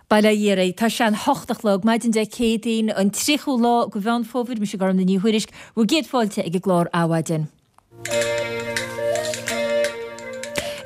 Bail ó Dhia oraibh. Tá sé an hocht a chlog, maidin Dé Céadaoin, an 30ú lá de Mheán Fómhair. Mise Gormfhlaith Ní Thuairisg, bhur gcéad fáilte ag an gclár Adhmhaidin.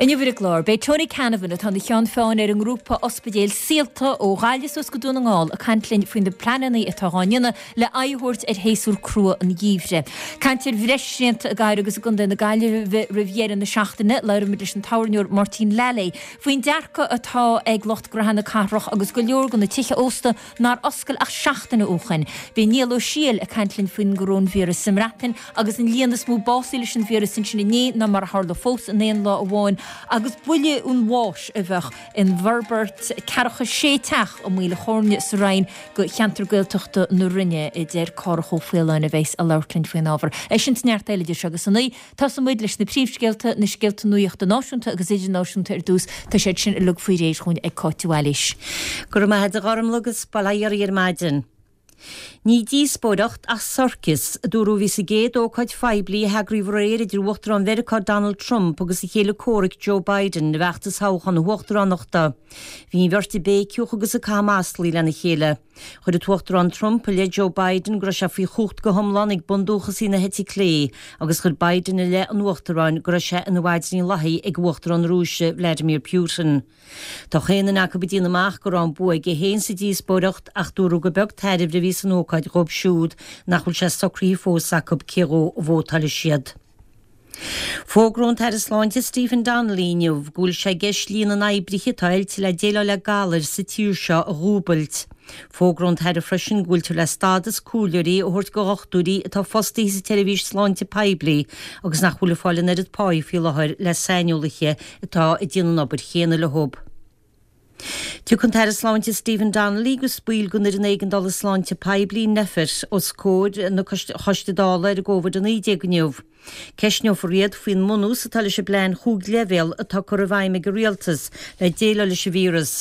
Inniu ar an gclár, beidh Tony Canavan, atá ina cheann feadhain ar an ngrúpa ospidéil Saolta ó Ghaillimh suas go Dún na nGall, ag caint linn faoi na pleananna atá dhá ndéanamh le aghaidh a thabhairt ar shéasúr crua an gheimhridh. Caint ar bhreis srianta i gcathair agus i gcontae na Gaillimhe roimh dheireadh na seachtaine. Labhróimid leis an tábhairneoir Máirtín Lally faoin dearcadh atá ag lucht gnaithe na cathrach agus go leor de na tithe ósta nár oscail ach seachtain ó shoin. Beidh Niall Ó Siail ag caint linn faoin gcoróinvíreas sa mBreatain agus an líon is mó básaithe leis an víreas ansin inné ná mar a tharla fós in aon lá amháin agus buille an bháis a bheadh in bhforbairt ceathracha sé teach i Maoil a' Choirne sa Rinn do cheantar Gaeltachta na Rinne, a deir Cárthach Ó Faoláin a bheas ag labhairt linn faoin ábhar. É sin is neart eile idir seo agus a naoi. Tosóidh muid leis na príomhscéalta, na scéalta nuachta náisiúnta agus idirnáisiúnta ar dtús. Tá siad sin uilig faoi réir chugainn ag Cáit de Bhailís. Go raibh maith agat a Ghormfhlaith agus bail ó Dhia oraibh ar maidin. Ní díospóireacht ach sorcas, a dúradh a bhí sa gcéad ócáid phoiblí a heagraíodh aréir idir Uachtarán Mheiriceá Donald Trump agus a chéile comhraic Joe Biden i bhfeachtas thoghchán na huachtaránachta. Bhí an bheirt ag béiceadh agus ag caitheamh maslaí lena chéile. Chuir an tUachtarán Trump i leith Joe Biden go raibh sé faoi chumhacht go hiomlán ag bundúchasaigh na heite clé agus chuir Biden i leith an Uachtaráin go raibh sé ina mhaidrín lathaí ag Uachtarán na Rúise Vladimir Putin. Tá chaon duine acu ag déanamh amach go raibh an bua aige féin sa díospóireacht ach dúradh gur beag tairbhe a bhí san ócáid dhóibh siúd nach bhfuil sé socraithe fós acu cé dhó a vótálfaidh siad. Fógróidh an tAire Sláinte Stephen Donnelly inniu go bhfuil sé i gceist líon na n-oibrithe atá oilte le déileáil le galair sa tír seo a dhúbailt. Fógróidh an tAire freisin go bhfuiltear le stádas comhairleoirí a thabhairt do dhochtúirí atá fostaithe sa tseirbhís sláinte poiblí agus nach bhfuil ag fáil an oiread páí faoi láthair le saineolaithe atá ag déanamh an obair chéanna leo. Tiocfaidh an tAire Sláinte Stephen Donnelly agus baill den Fhoireann Éigeandála Sláinte Poiblí, Nphet, os comhair an Choiste Dála ar an gCovid-19 inniu. Ceistneofar iad faoin mbunús atá leis an bplean chúig leibhéal atá curtha i bhfeidhm ag an Rialtas le déileáil leis an víreas.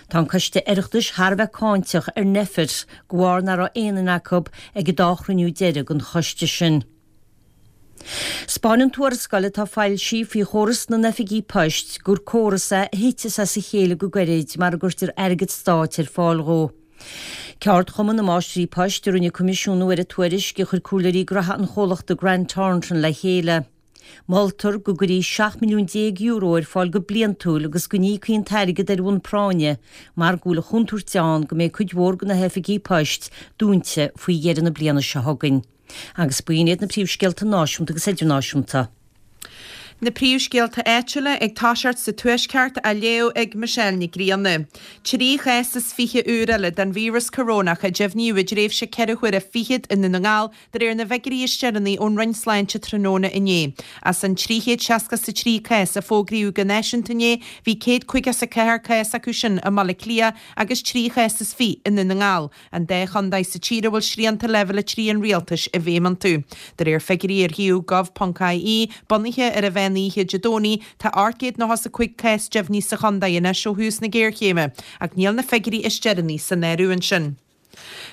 Tá an Coiste Oireachtais thar a bheith cáinteach ar Nphet de bharr nach raibh aon duine acu ag an dá chruinniú deiridh den choiste sin. 'Spáineann tuarascáil atá foilsithe faoi chóras na n-oifigí poist gur córas é a thiteas as a chéile go gairid mara gcuirtear airgead stáit ar fáil dhó. Ceardchumann na Máistrí Poist a rinne coimisiúnú ar an tuairisc a chuir comhairleoirí graithe an chomhlachta Grant Thornton le chéile. Moltar go gcuirfí €17 milliún ar fáil go bliantúil agus go n-íocfaí an t-airgead ar bhonn práinne mar go bhfuil an chontúirt ann go mbeidh cuid mhór de na hoifigí poist dúnta faoi dheireadh na bliana seo chugainn. Agus b'in iad na príomhscéalta náisiúnta agus idirnáisiúnta. Na príomhscéalta áitiúla ag toiseacht sa Tuaisceart á léamh ag Michelle Nic Grianna. 23 chás úr eile den víreas corónach a deimhníodh i dtréimhse ceithre huaire fichead i nDún na nGall de réir na bhfigiúirí is deireanaí ón Roinn Sláinte tráthnóna inné. As an 363 cás a fógraíodh go náisiúnta inné, bhí 154 cás acu sin i mBaile Átha Cliath agus 3 chás is 20 i nDún na nGall. An dá chontae sa tír a bhfuil srianta Leibhéal 3 an rialtais i bhfeidhm iontu. De réir figiúirí ar shuíomh gov.ie, bunaithe ar an mheán oíche Dé Domhnaigh, tá 895 cás deimhnithe sa chontae anois ó thús na géarchéime, ach níl na figiúirí is deireanaí san áireamh ansin.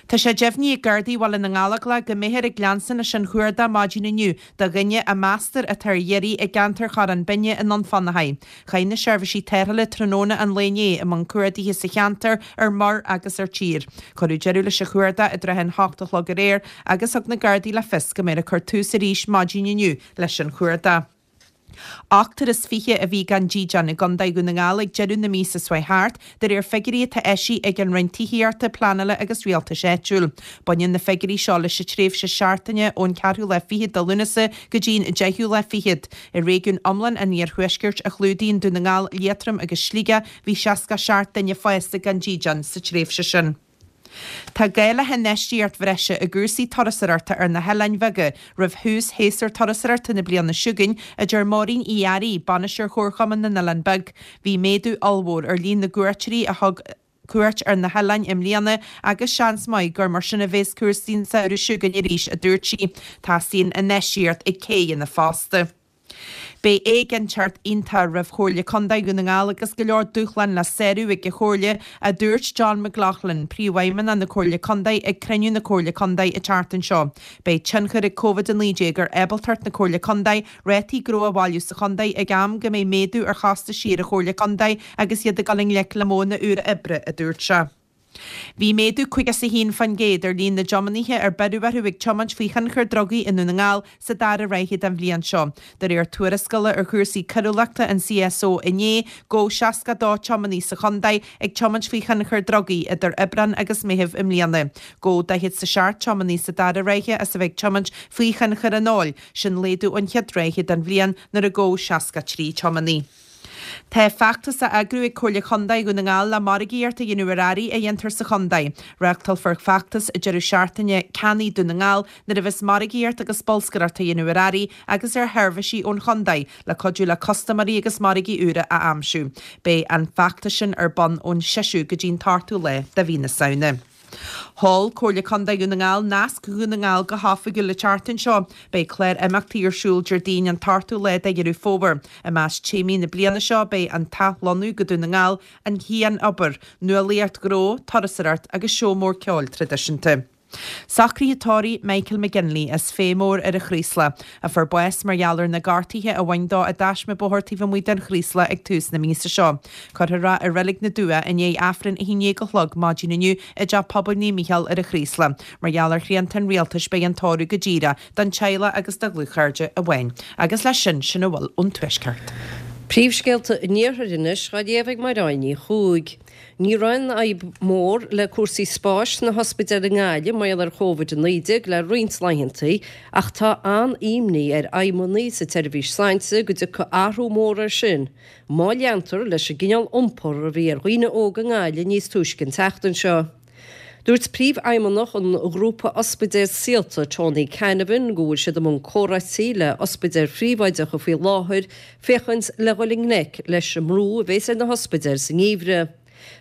Tá sé deimhnithe ag Gardaí Bhaile na nGallóglach go mbeifear ag leanstan leis an chuardach maidin inniu do dhuine a meastar atá ar iarraidh i gceantar Chorrán Binne i nDún Fionnachaidh. Chuaigh na seirbhísí tarrthála tráthnóna an lae inné i mbun cuardaithe sa cheantar ar muir agus ar tír. Cuireadh deireadh leis an chuardach i dtrátha an hocht a chlog aréir agus thug na Gardaí le fios go mbeifear ag cur tús arís maidin inniu leis an chuardach. Ochtar is 20 a bhí gan dídean i gContae Dhún na nGall ag deireadh na míosa seo thart, de réir figiúirí atá eisithe ag an Roinn Tithíochta, Pleanála agus Rialtais Áitiúil. Baineann na figiúirí seo leis an tréimhse seachtaine ón ceathrú lá fichead de Lúnasa go dtí'n deichiú lá fichead. I réigiún iomlán an Iarthuaiscirt, a chlúdaíonn Dún na nGall, Liatroim agus Sligeach, bhí 67 duine fásta gan dídean sa tréimhse sin. Tá gá le hinfheistíocht bhreise i gcúrsaí turasóireachta ar na hoileáin bheaga roimh thús shéasúr turasóireachta na bliana seo chugainn, a deir Máirín Uí Fhearraigh, Bainisteoir Chomharchumann na nOileán Beag. Bhí méadú ollmhór ar líon na gcuairteoirí a thug cuairt ar na hoileáin i mbliana agus seans maith gur mar sin a bheas cúrsaí an samhradh seo chugainn arís, a dúirt sí. Teastaíonn infheistíocht i gcéidheanna fosta. Beidh éiginnteacht iontach roimh Chomhairle Contae Dhún na nGall agus go leor dúshlán le sárú ag an Chomhairle, a dúirt John McLaughlin, Príomhfheidhmeannach na Comhairle Contae ag cruinniú na Comhairle Contae an tseachtain seo. Beidh tionchar ag Covid-19 ar ábaltacht na Comhairle Contae rátaí gnó a bhailiú sa chontae ag am go mbeidh méadú ar chostaisí ar an Chomhairle Contae agus iad ag dul i ngleic le modhanna úra oibre, a dúirt sé. Bhí méadú 51% ar líon na dtiománaithe ar beireadh orthu ag tiomáint faoi thionchar drugaí i nDún na nGall sa dara ráithe den bhliain seo. De réir tuarascála ar chúrsaí coiriúlachta an CSO inné, gabhadh 62 tiománaí sa chontae ag tiomáint faoi thionchar drugaí idir Aibreán agus Meitheamh i mbliana. Gabhadh 47 tiománaí sa dara ráithe as a bheith ag tiomáint faoi thionchar an óil, sin laghdú ón chéad ráithe den bhliain nuair a gabhadh 63 tiománaí. Tá feachtas á eagrú ag Comhairle Chontae Dhún na nGall le margaíocht a dhéanamh ar earraí a dhéantar sa chontae. Reáchtálfar feachtas deireadh seachtaine Ceannaigh Dún na nGall nuair a bheas margaíocht agus bolscaireacht á dhéanamh ar earraí agus ar sheirbhísí ón chontae le cuidiú le custaiméirí agus margaí úra a aimsiú. Beidh an feachtas sin ar bun ón seisiú go dtí an t-ochtú lá de mhí na Samhna. Sheol Comhairle Contae Dhún na nGall Nasc Dhún na nGall go hoifigiúil an tseachtain seo. Beidh clár imeachtaí ar siúl Déardaoin an t-ochtú lá de Dheireadh Fómhair. I measc téamaí na bliana seo beidh an t-athlonnú go Dún na nGall, an chianobair, nuálaíocht ghnó, turasóireacht agus seó mór ceoil traidisiúnta. Socruithe tórraimh Michael McGinley as Féith Mór ar an Chraoslach, a fuair bás mar gheall ar na gortuithe a bhain dó i dtaisme bóthair taobh amuigh den Chraoslach ag tús na míosa seo. Cuirfear é i Reilig na Dumhcha i ndiaidh Aifreann 11 a chlog maidin inniu i dTeach Pobail Naomh Mícheál ar an Chraoslach. Mar gheall ar shrianta an rialtais beidh an tórramh go díreach don teaghlach agus do dhlúthchairde amháin. Agus leis sin, sin a bhfuil ón Tuaisceart. Príomhscéalta an Iarthair anois á léamh ag Mairéad Ní Chuaig. Ní raibh aon fhadhb mhór le cúrsaí spáis sna hospidéil i nGaillimh mar gheall ar Covid-19 le roinnt laethanta ach tá an-imní ar fheidhmeannaigh sa tseirbhís sláinte go dtiocfaidh athrú mór air sin má leantar leis an gcineál iompar a bhí ar dhaoine óga i nGaillimh níos túisce an tseachtain seo. Dúirt Príomhfheidhmeannach an ghrúpa ospidéal Saolta, Tony Canavan, go bhfuil siad i mbun comhráití le ospidéil phríobháideacha faoi láthair féachaint le dhul i ngleic leis an mbrú a bhéas ar na hospidéil sa ngeimhreadh.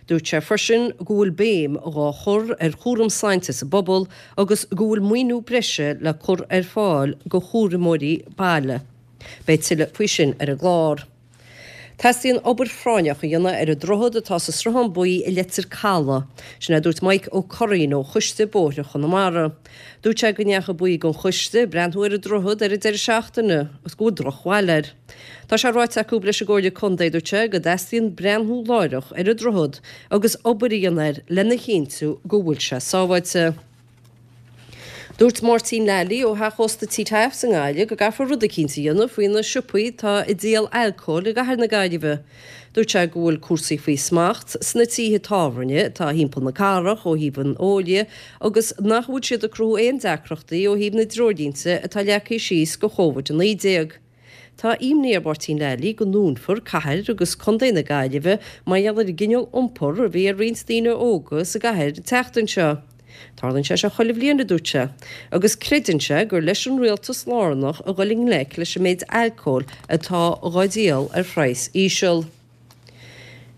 Dúirt sé freisin go bhfuil béim dhá chur ar chúram sláinte sa bpobal agus go bhfuil maoiniú breise le cur ar fáil go chúramóirí baile. Beidh tuilleadh faoi sin ar an gclár. Teastaíonn obair phráinneach a dhéanamh ar an droichead atá sa Sruthán Buí i Leitir Calaidh. Sin é a dúirt Mike Ó Curraoin ó Choiste Bóithre Chonamara. Dúirt sé go ndeachaigh baill den choiste ag breathnú ar an droichead ar an deireadh seachtaine agus go bhfuil drochbhail air. Tá sé ráite acu leis an gComhairle Contae, dúirt sé, go dteastaíonn breathnú láithreach ar an droichead agus obair a dhéanamh air lena chinntiú go bhfuil sé sábháilte. Dúirt Máirtín Lally ó theach ósta T. Taaffes i nGaillimh go gcaithfear rud eicínt a dhéanamh faoi na siopaí atá ag díol alcóil i gcathair na Gaillimhe. Dúirt sé go bhfuil cúrsaí faoi smacht sna tithe tábhairne atá thimpeall na cathrach ó thaobh an óil dhe agus nach bhfuil siad ag cruthú aon deacrachtaí ó thaobh na dtreoirlínte atá leagtha síos go Covid-19. Tá imní ar Mháirtín Lally go ndúnfar cathair agus contae na Gaillimhe mar gheall ar an gcineál iompar a bhí ar roinnt daoine óga sa gcathair an tseachtain seo. Tarlaíonn sé seo chuile bhliain, a dúirt sé, agus creideann sé gur leis an rialtas lárnach a dhul i ngleic leis an méid alcóil atá dhá dhíol ar phraghas íseal.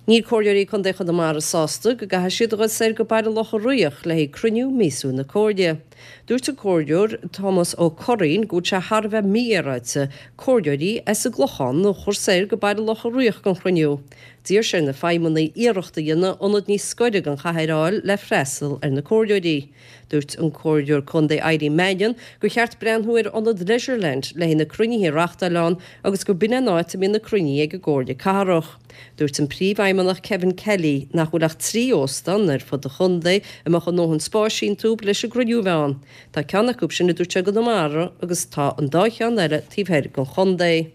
Níl Comhairleoirí Contae Chonamara sásta go gcaithfidh siad a dhul soir go Baile Locha Riach le haghaidh cruinniú míosúil na Comhairle. Dúirt an Comhairleoir Tomás Ó Curraoin go bhfuil sé thar a bheith mífhéaráilte Comhairleoirí as an gClochán a chur soir go Baile Locha Riach don chruinniú. D'iarr sé ar na feidhmeannaigh iarracht a dhéanamh ionad níos scoire den chathair a fháil le freastal ar na Comhairleoirí. Dúirt an Comhairleoir Contae Eileen Mannion gur cheart breathnú ar ionad Leisureland le haghaidh na cruinnithe a reáchtáil ann agus gur b'in an áit a mbíonn na cruinnithe ag an gComhairle Cathrach. Dúirt an Príomhfheidhmeannach Kevin Kelly nach bhfuil ach 3 óstán ar fud an chontae a mbeadh a ndóthain spáis iontu leis an gcruinniú a bheith ann. Tá ceann acu sin, a dúirt sé, i gConamara agus tá an dá cheann eile taobh thoir den chontae.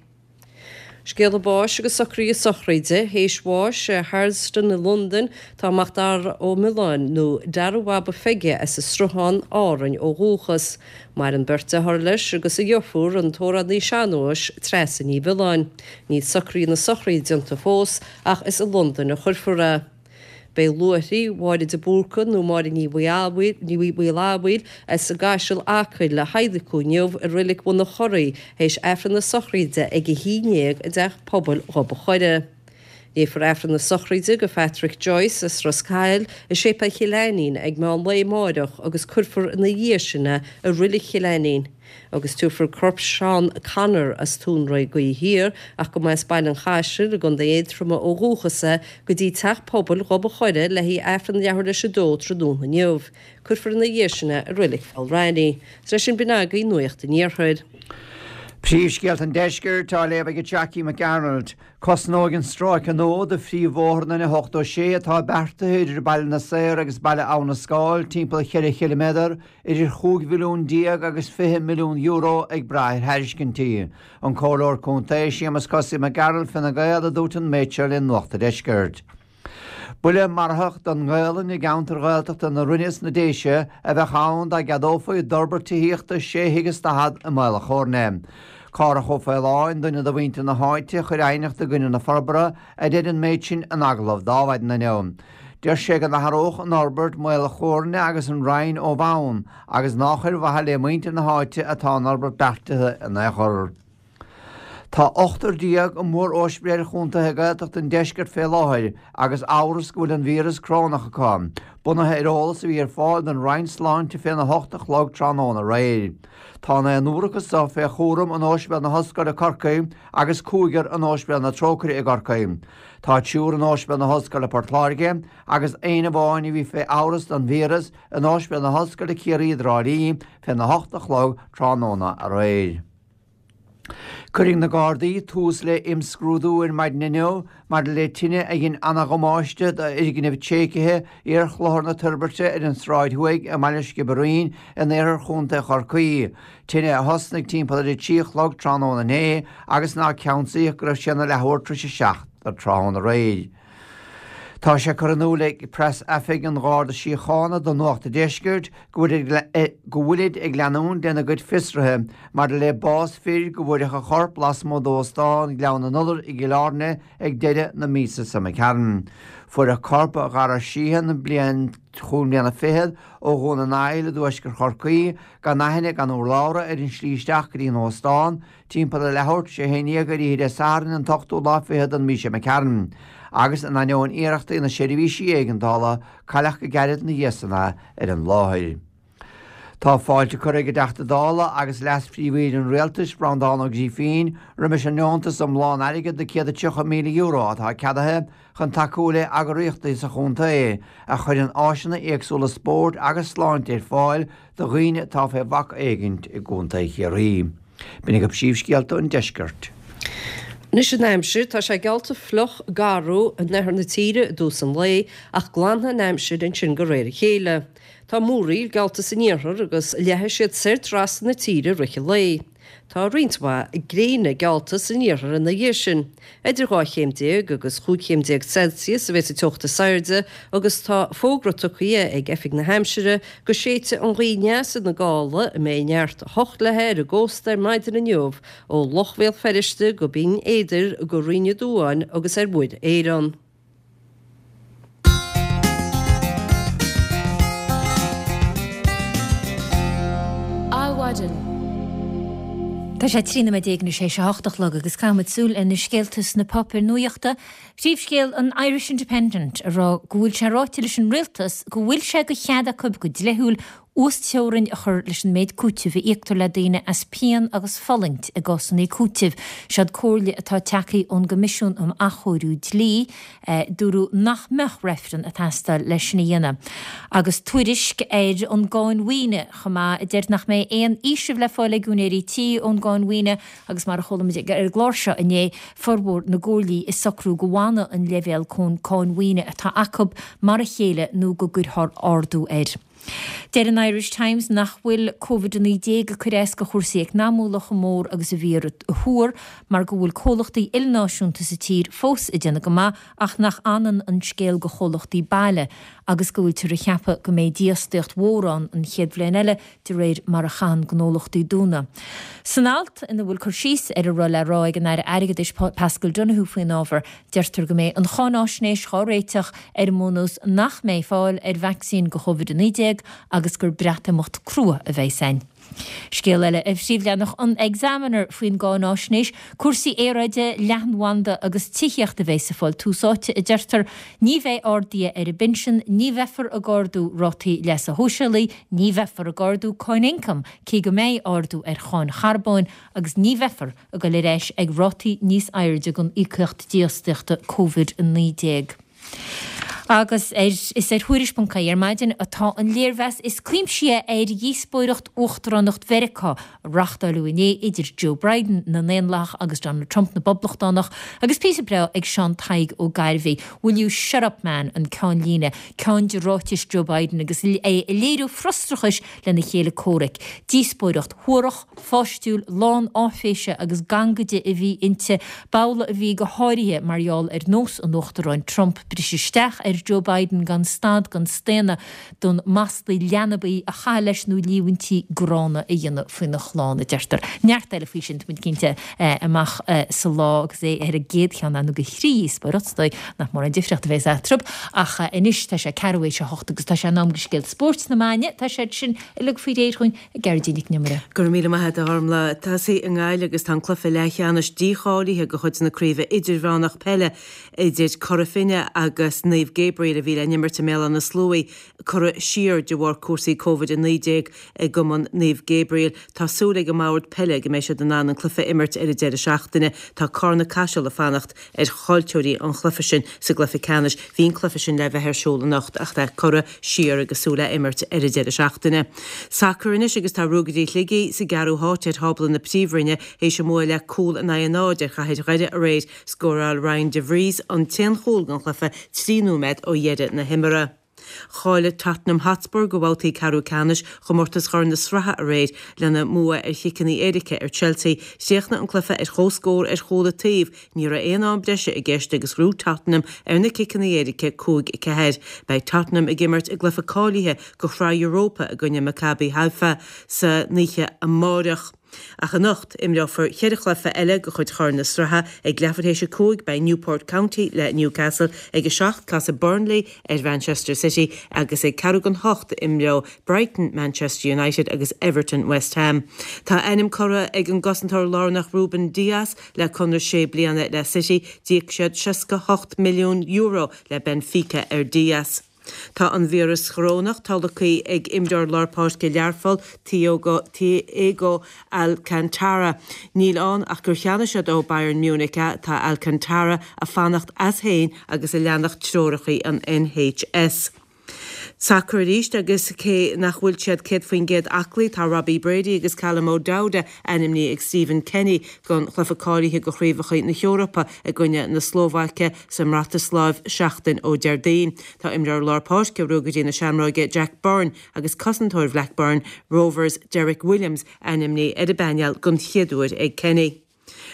Scéala báis agus socruithe sochraide théis bháis i Harlesden i Londain tá Macdara Ó Miolláin, nó Dara Bhaba Pheige as an Sruthán, Árainn ó dhúchas. Maireann beirt dearthár leis agus a dheirfiúr, an t-amhránaí sean-nóis, Treasa Ní Mhiolláin. Níl socruithe na sochraide déanta fós ach is i Londain a chuirfear é. Beidh luaithrigh Mháire de Búrca nó Máire Ní Mhaolfhadhail as an gCaiseal, Acaill le hadhlacadh inniu i Reilig Bhun an Churraigh théis Aifreann na sochraide ag 11 i dTeach Pobail Ghob a' Choire. Léifear Aifreann na sochraide do Phatrick Joyce as Ros Cathail i Séipéal Chill Ainnín ag meán lae amáireach agus cuirfear ina dhiaidh sin é i Reilig Chill Ainnín. Agus tabharfar corp Seán Connor as Tóin Gaoth Thiar, ach go mba as Baile an Chaisil i gContae Aontroma ó dhúchas é, go dtí Teach Pobail Ghob a' Choire le haghaidh Aifreann leathuair leis a dó tráthnóna inniu. Cuirfear ina dhiaidh sin é i Reilig Pholl Raithní. Is leis sin b'in agaibh Nuacht an Iarthair. Príomhscéalta an Deiscirt á léamh ag Jackie McArnold. Cosnóidh an stráice nua de phríomhbhóthar an N86 atá beartaithe idir Baile na Saor agus Baile Abha na Scáil timpeall cheithre chiliméadar, idir €15 mhilliún agus €20 milliún ag brath ar thairiscintí. An Comhairleoir Contae Séamus Kosaí Mac Gearailt, Fine Gael, a dúirt an méid seo le Nuacht an Deiscirt. Buille marfach don nGaelainn i gceantair Ghaeltachta na Rinne is na Déise a bheadh ann dá gceadófaí d'fhorbairt tithíochta sé thigh is daichead i Maol a' Chóirne. Cárthach Ó Faoláin, duine de mhuintir na háite a chuir aighneacht i gcoinne na forbartha, a deir an méid sin in agallamh d'Adhmhaidin inniu. Deir sé go n-athródh an fhorbairt Maol a' Chóirne agus an Rinn ó bhonn agus nách ar mhaithe le muintir na háite atá an fhorbairt beartaithe in aon chor. Tá ochtar i mór-ospidéil chontaetha Gaeltachta an deiscirt fé láthair agus amhras go bhfuil an víreas corónach acu, bunaithe ar eolas a bhí ar fáil don Roinn Sláinte féna hocht a chlog tráthnóna aréir. Tá an naonúr acu so fé chúram in Ospidéal na hOllscoile Corcaigh agus cúigear in Ospidéal na Trócaire i gCorcaigh. Tá triúr in Ospidéal na hOllscoile Port Láirge agus aon amháin a bhí fé amhras don víreas in Ospidéal na hOllscoile Ciarraí i dTrá Lí féna hocht a chlog tráthnóna aréir. Cuirfidh na Gardaí tús le imscrúdú ar maidin inniu maidir le tine a dhein ana-dhamáiste d'fhoirgneamh tréigthe iar-Chlochar na Toirbhirte ar an Sráid Thuaidh i mbaile Sciobairín in iarthar chontae Chorcaí, tine a thosnaigh timpeall ar 3 a chlog tráthnóna inné agus nár ceansaíodh go raibh sé ina leathuair tar éis a 7 tráthnóna aréir. Tá sé curtha in iúl ag Preas-Oifig an Gharda Síochána do Nuacht an Deiscirt go bhfuilid ag leanúint lena gcuid fiosruithe maidir le bás fir go bhfuaireadh a chorp lasmuigh d'Óstán Ghleann na nIolar i gCill Airne ag deireadh na míosa seo imigh tharainn. Fuaireadh corp Dhara Sheehan, bliain chúig mbliana fichead, ó Dhún na nGall i dtuaisceart Chorcaí, gan aithne gan urlabhra ar an slí isteach go dtí an óstán, timpeall a leathuair tar éis a haon dhéag ar oíche Dé Sathairn an t-ochtú lá fichead den mhí seo imigh tharainn, agus in ainneoin iarrachtaí na seirbhísí éigeandála, cailleadh go gairid ina dhiaidh san é ar an láthair. Tá fáilte curtha ag an dTeachta Dála agus Leas-Phríomh-Aoire an Rialtais, Breandán Ó Grífín, roimis an ndeontas iomlán airgid de €130,000 atá ceadaithe chun tacú le heagraíochtaí sa chontae a chuireann áiseanna éagsúla spóirt agus sláinte ar fáil do dhaoine atá fé bhac éigint i gContae Chiarraí. B'in agaibh príomhscéalta an deiscirt. Anois an aimsir, tá sé geallta fliuch garbh in oirthear na tíre i dtús an lae ach glanfaidh an aimsir ansin de réir a chéile. Tá múraíl geallta san iarthar agus leathfaidh siad soir trasna na tíre i rith an lae. Tá roinnt mhaith gréine geallta san iarthar ina dhiaidh sin. Idir 12 chéim agus 15 chéim Celsius a bheas an teocht is airde agus tá fógra tugtha ag Oifig na hAimsire go séidfidh an ghaoth aneas ina gála a mbeidh neart 8 léi ar an gcósta ar maidin inniu ó Loch Bhéal Feirste go Binn Éadair go Rinn Ó Duáin agus ar Mhuir Éireann. Adhmhaidin. Tá sé 13 nóiméad tar éis a hocht a chlog agus caithfimid súil ar na scéalta sna páipéir nuachta. Príomhscéal an Irish Independent ag rá go bhfuil sé ráite leis an rialtas go bhfuil sé de chead acu go dlíthiúil uasteorainn a chur leis an méid cúitimh a íoctar le daoine as pian agus fulaingt i gcásanna cúitimh. Seod comhairle atá tagtha ón gCoimisiún um Athchóiriú Dlí. Dúradh nach mbeadh reifreann ag teastáil leis sin a dhéanamh. Agus tuairisc ar an gcáin mhaoine chomh maith a deir nach mbeidh aon fhaoiseamh le fáil ag úinéirí tí ón gcáin mhaoine agus mar a chuala muid ar an gclár seo inné, formhór na gcomhairlí ag socrú go bhfanfaidh an leibhéal cáin mhaoine atá acu mar a chéile nó go gcuirfear ardú air. Deir an Irish Times nach bhfuil Covid-19 ag cur as do chúrsaí eacnamúla chomh mór agus a bhíothar a thuar mar go bhfuil comhlachtaí ilnáisiúnta sa tír fós ag déanamh go maith ach nach ionann an scéal do chomhlachtaí baile agus go bhfuiltear ag ceapadh go mbeidh dífhostaíocht mhór ann an chéad bhliain eile de réir mar a chaitheann gnólachtaí dúnadh. San alt ina bhfuil cur síos ar a raibh le rá ag an Aire Airgeadais Paschal Donohoe faoin ábhar, Deirtear go mbeidh an cháináisnéis dhá réiteach ar an mbunús nach mbeidh fáil ar vacsaín do Chovid-19 agus gur Breatimeacht crua a bheidh ann. Scéal eile ar phríomhleathanach an Examiner faoin gcáináisnéis, cúrsaí aeráide, leathanbhanda agus tithíocht a bheidh sa fáil tús áite, a deirtear. Ní bheidh arduithe ar an bpinsean, ní bheifear ag ardú rátaí leasa shóisialaigh, ní bheifear ag ardú cáin ioncaim, cé go mbeidh ardú ar cháin charbóin, agus ní bheifear ag dul ar ais ag rátaí níos airde den íocaíocht dífhostaíochta Covid-19. Agus ar is ar Thuairisc ponc ie ar maidin atá an léirmheas is cuimsithí ar dhíospóireacht uachtaránacht Mheiriceá a reáchtáileadh inné idir Joe Biden na nDaonlathach agus Donald Trump na bPoblachtánach agus píosa breá ag Seán Tadhg Ó Gairbhí, Will you shut up man an ceannlíne, ceann de ráitis Joe Biden agus é ag léiriú frustrachais lena chéile comhraic. Díospóireacht shuarach, pháistiúil, lán áiféise agus gangaide a bhí inti. B'amhlaidh a bhí go háirithe mar gheall ar nós an Uachtaráin Trump briseadh isteach ar Joe Biden gan stad gan staonadh d'fhonn maslaí leanbaí a chaitheamh leis nó líomhaintí gránna a dhéanamh faoina chlann, a deirtear. Neart eile faoi sin, tá muid cinnte, amach sa lá agus é ar an gcéad cheann nó de thrí dhíospóireacht, is dóigh nach mórán difríocht a bheas eatarthu. Ach anois tá sé ceathrú théis a hocht agus tá sé in am do scéalta spóirt na maidine. Tá siad sin uilig faoi réir dhúinn. ag Gearóidín Nic an Iomaire. Go raibh míle maith agat a Ghormlaith. Tosaí i nGaillimh agus tá an cluiche leathcheannais dícháilithe de chuid na Craoibhe Idirmheánach Peile idir Cora Finne agus Naomh Gabriel a bhí le n-imirt i mBéal Átha na Sluaighe curtha siar de bharr cúrsaí Covid-19 i gCumann Naomh Gabriel. Tá súil ag an mBord Peile go mbeidh siad in ann an cluiche a imirt ar an deireadh seachtaine. Tá Carna Caiseal ag fanacht ar chaillteoirí an chluiche sin sa gcluiche ceannais. Bhí an cluiche sin le bheith ar siúl anocht ach tá curtha siar agus súil le imirt ar an deireadh seachtaine. Sacar anois agus tá Ruagairí Shligigh sa gceathrú háit ar thábla na Príomhroinne théis a mbua le cúl in aghaidh a náid ar Chathair Dhoire aréir. Scóráil Ryan De Vries an t-aon chúl den chluiche 3 nóiméad ó dheireadh na himeartha. Cháiligh Tottenham Hotspur go babhtaí ceathrú ceannais chomórtas Chorn na Sraithe aréir lena mbua ar chiceanna éirice ar Chelsea. Chríochnaigh an cluiche ar comhscór ar chúl an taobh, ní raibh aon am breise i gceist agus ghnóthaigh Tottenham ar na ciceanna éirice 5-4. Beidh Tottenham ag imirt i gcluiche cáilithe go Shraith Europa i gcoinne Maccabi Haifa san oíche amáireach. Ach anocht, imreofar cheithre chluiche eile de chuid Chorn na Sraithe. Ag leathuair théis 5, beidh Newport County le Newcastle, ag 7, casfaidh Burnley ar Mhanchester City agus ag ceathrú don hocht, imreoidh Brighton Manchester United agus Everton West Ham. Tá a ainm curtha ag an gcosantóir lárnach Ruben Dias le conradh sé bliana le City. D'íoc siad €68 milliún le Benfica ar Dias. Tá an víreas chorónach tolgtha ag imreoir lár páirce Learpholl, Thiago Alcantara. Níl ann ach gur cheannaigh siad ó Bayern Munich é. Tá Alcantara ag fanacht as féin agus ag leanacht treoracha an NHS. Sacar arís agus cé nach bhfuil siad 100% aclaí, tá Robbie Brady agus Callum O'Dowda ainmnithe ag Stephen Kenny don chluiche cáilithe do Chraobhacha na hEorpa i gcoinne na Slóvaice sa mBrataisláiv seachtain ó Déardaoin. Tá imreoir lár páirce Ruagairí na Seamróige Jack Byrne agus cosantóir Bhlackburn Rovers Derek Williams ainmnithe ar an bpainéal den chéad uair ag Kenny.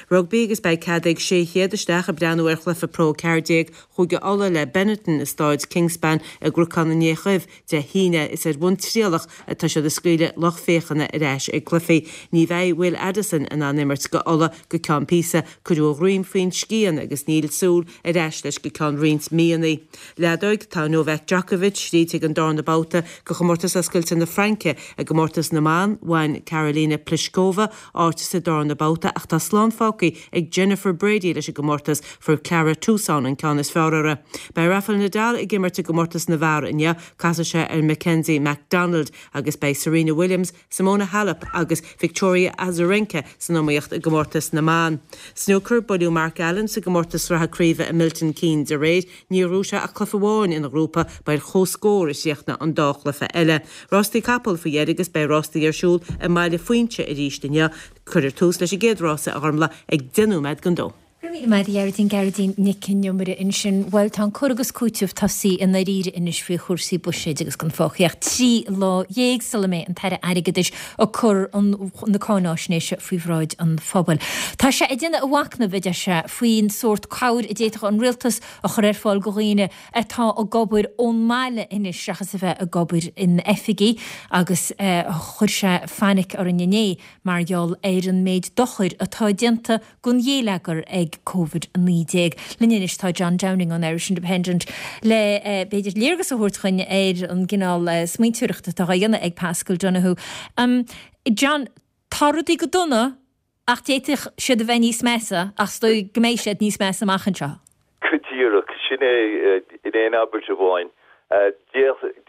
Rugbaí agus beidh cead ag 600 isteach ag breathnú ar chluiche Pro 14 Chúige Uladh le Benetton i Stáid Kingspan i gCnocán an Fhéich Dhuibh Dé hAoine. Is ar bhonn trialach atá siad ag scaoileadh lucht féachana ar ais ag cluichí. Ní bheidh Will Addison in ann imirt go Ulaidh go ceann píosa. Cuireadh a dhroim faoin scian agus níl súil ar ais leis go ceann roinnt míonna. Leadóig, Tá Novak Djokovic tríd chuig an darna babhta de chomórtas Oscailte na Fraince. I gcomórtas na mban, bhain Karolina Pliskova áit sa darna babhta ach tá slán fágtha ag Jennifer Brady leis an gcomórtas, fuair Clara Tauson an ceann is fearr uirthi. Beidh Rafael Nadal ag imirt i gcomórtas na bhfear inniu, casfaidh sé ar Mackenzie McDonald agus beidh Serena Williams, Simona Halep agus Victoria Azarenka san iomaíocht i gcomórtas na mban. Snúcar, Buaileadh Mark Allen sa gcomórtas sraithe craoibhe i Milton Keynes aréir. Níor ghnóthaigh sé ach cluiche amháin ina ghrúpa, ba ar comhscór a chríochnaigh an dá chluiche eile. Rástaí capall faoi dheireadh agus beidh rástaí ar siúl i mBaile Phuinse arís inniu. Cuirfear tús leis an gcéad rása, a Ghormlaith, ag 10 nóiméad don dó. Go raibh míle maith agat a Ghearóidín, Gearóidín Nic an Iomaire ansin. Bhuel, tá an cur agus cúiteamh tosaithe i ndáiríre anois faoi chúrsaí buiséid agus gan fágtha ach 13 lá sula mbeidh an tAire Airgeadais ag cur na cáináisnéise faoi bhráid an phobail. Tá sé ag déanamh a mhacnaimh, a deir sé, faoin sórt cabhair a d'fhéadfadh an rialtas a chur ar fáil go dhaoine atá ag obair ón mbaile anois seachas a bheith ag obair in oifigí agus chuir sé fainic orainn inné mar gheall ar an méid dochair atá déanta don ghéilleagar ag. ag Covid-19. Linn anois tá John Downing ón Irish Independent le b'fhéidir léargas a thabhairt dhuinn ar an gcineál smaointeoireachta atá á dhéanamh ag Paschal Donohoe. John, tá rudaí go dona ach d'fhéadfadh siad a bheith níos measa ach is dóigh go mbeidh siad níos measa amach anseo. Go díreach, sin é in aon abairt amháin.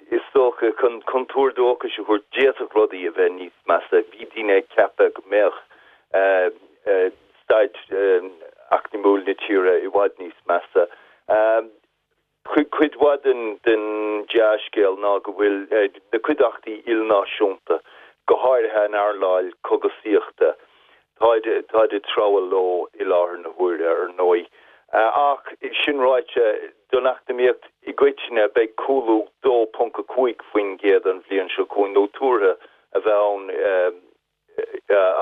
Is dócha, chun tuar dóchais a thabhairt, d'fhéadfadh rudaí a bheith níos measa. Bhí daoine ag ceapadh go mbeadh staid eacnamúil na tíre i bhfad níos measa. Cuid mhaith den dea-scéal ná go bhfuil na cuideachtaí ilnáisiúnta, go háirithe an earnáil cógaisíochta, táid táid ag treabhadh leo i láthair na huaire, ar ndóigh. Ach sin ráite, don eacnamaíocht i gcoitinne, beidh cúlú 2.5% an bhliain seo chugainn, nó tuartha a bheith ann.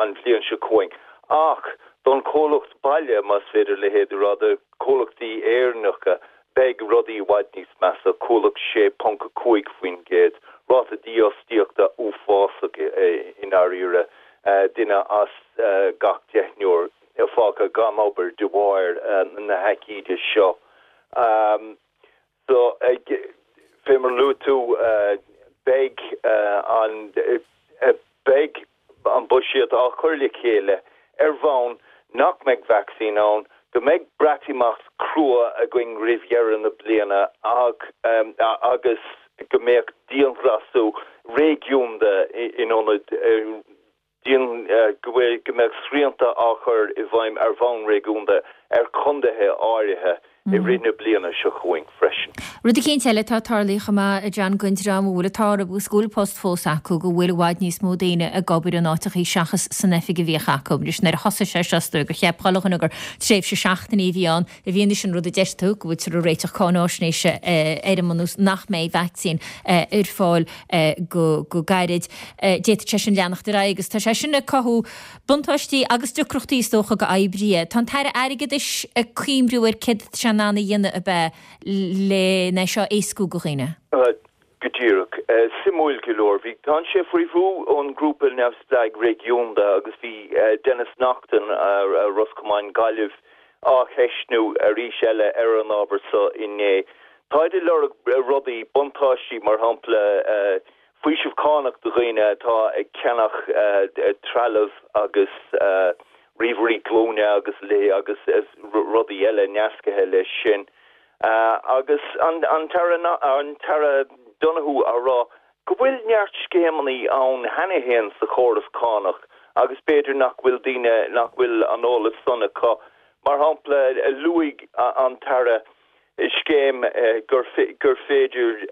an bhliain seo chugainn. Ach don chomhlacht baile, más féidir a leithéid a rá, do chomhlachtaí Éireannacha, beidh rudaí i bhfad níos measa, cúlú 6.5%, ráta dífhostaíochta uafásach i ndáiríre, duine as gach deichniúr fágtha gan obair de bharr na haicíde seo. So, fé mar a luaigh tú, beidh an, beidh an buiséad á chur le chéile ar bhonn nach mbeidh vacsaín ann, go mbeidh Breatimeacht crua againn roimh dheireadh na bliana ach, agus go mbeadh dianghlasáil réigiúnda in ionad dian, go bhfuil, go mbeadh srianta á chur i bhfeidhm ar bhonn réigiúnda ar chontaetha áirithe i rith na bliana seo chugainn freisin. Rud eicínt eile atá tarlaithe chomh maith, a John, don dream a bhfuil an t-ádh orthu agus go bhfuil post fós acu, go bhfuil i bhfad níos mó daoine ag obair in áiteachaí seachas san oifig a bhíodh acu. Anois nuair a thosaigh sé seo is dóigh gur cheap chuile dhuine gur tréimhse seachtainí a bhí ann, I bhfianaise an rud a deir tú, go bhfuiltear ag réiteach cáináisnéise ar an mbunús nach mbeidh vacsaín ar fáil go gairid, d'fhéadfadh sé sin leanacht ar aghaidh agus tá sé sin ag cothú buntáistí agus deacrachtaí is dócha do oibrithe. Tá an tAire Airgeadais ag cuimhniú ar céard atá sé in ann a dhéanamh ab ea len é seo a éascú do dhaoine? Go díreach. Suimiúil go leor, bhí, tá sé faoi bhrú ón ngrúpa neamhspleách réigiúnda agus bhí Denis Naughten, Ros Comáin, Gaillimh, á cheistniú arís eile ar an ábhar so inné. Táid ag lorg rudaí, buntáistí, mar shampla faoiseamh cánach do dhaoine atá ag ceannach trealamh agus ríomhairí glúine agus agus rudaí eile nascaithe leis sin. Agus an tAire Donohoe á rá go bhfuil neart scéimeanna ann cheana féin sa chóras cánach agus b'fhéidir nach bhfuil daoine, nach bhfuil an eolas san acu. Mar shampla, luaigh an tAire scéim gur féidir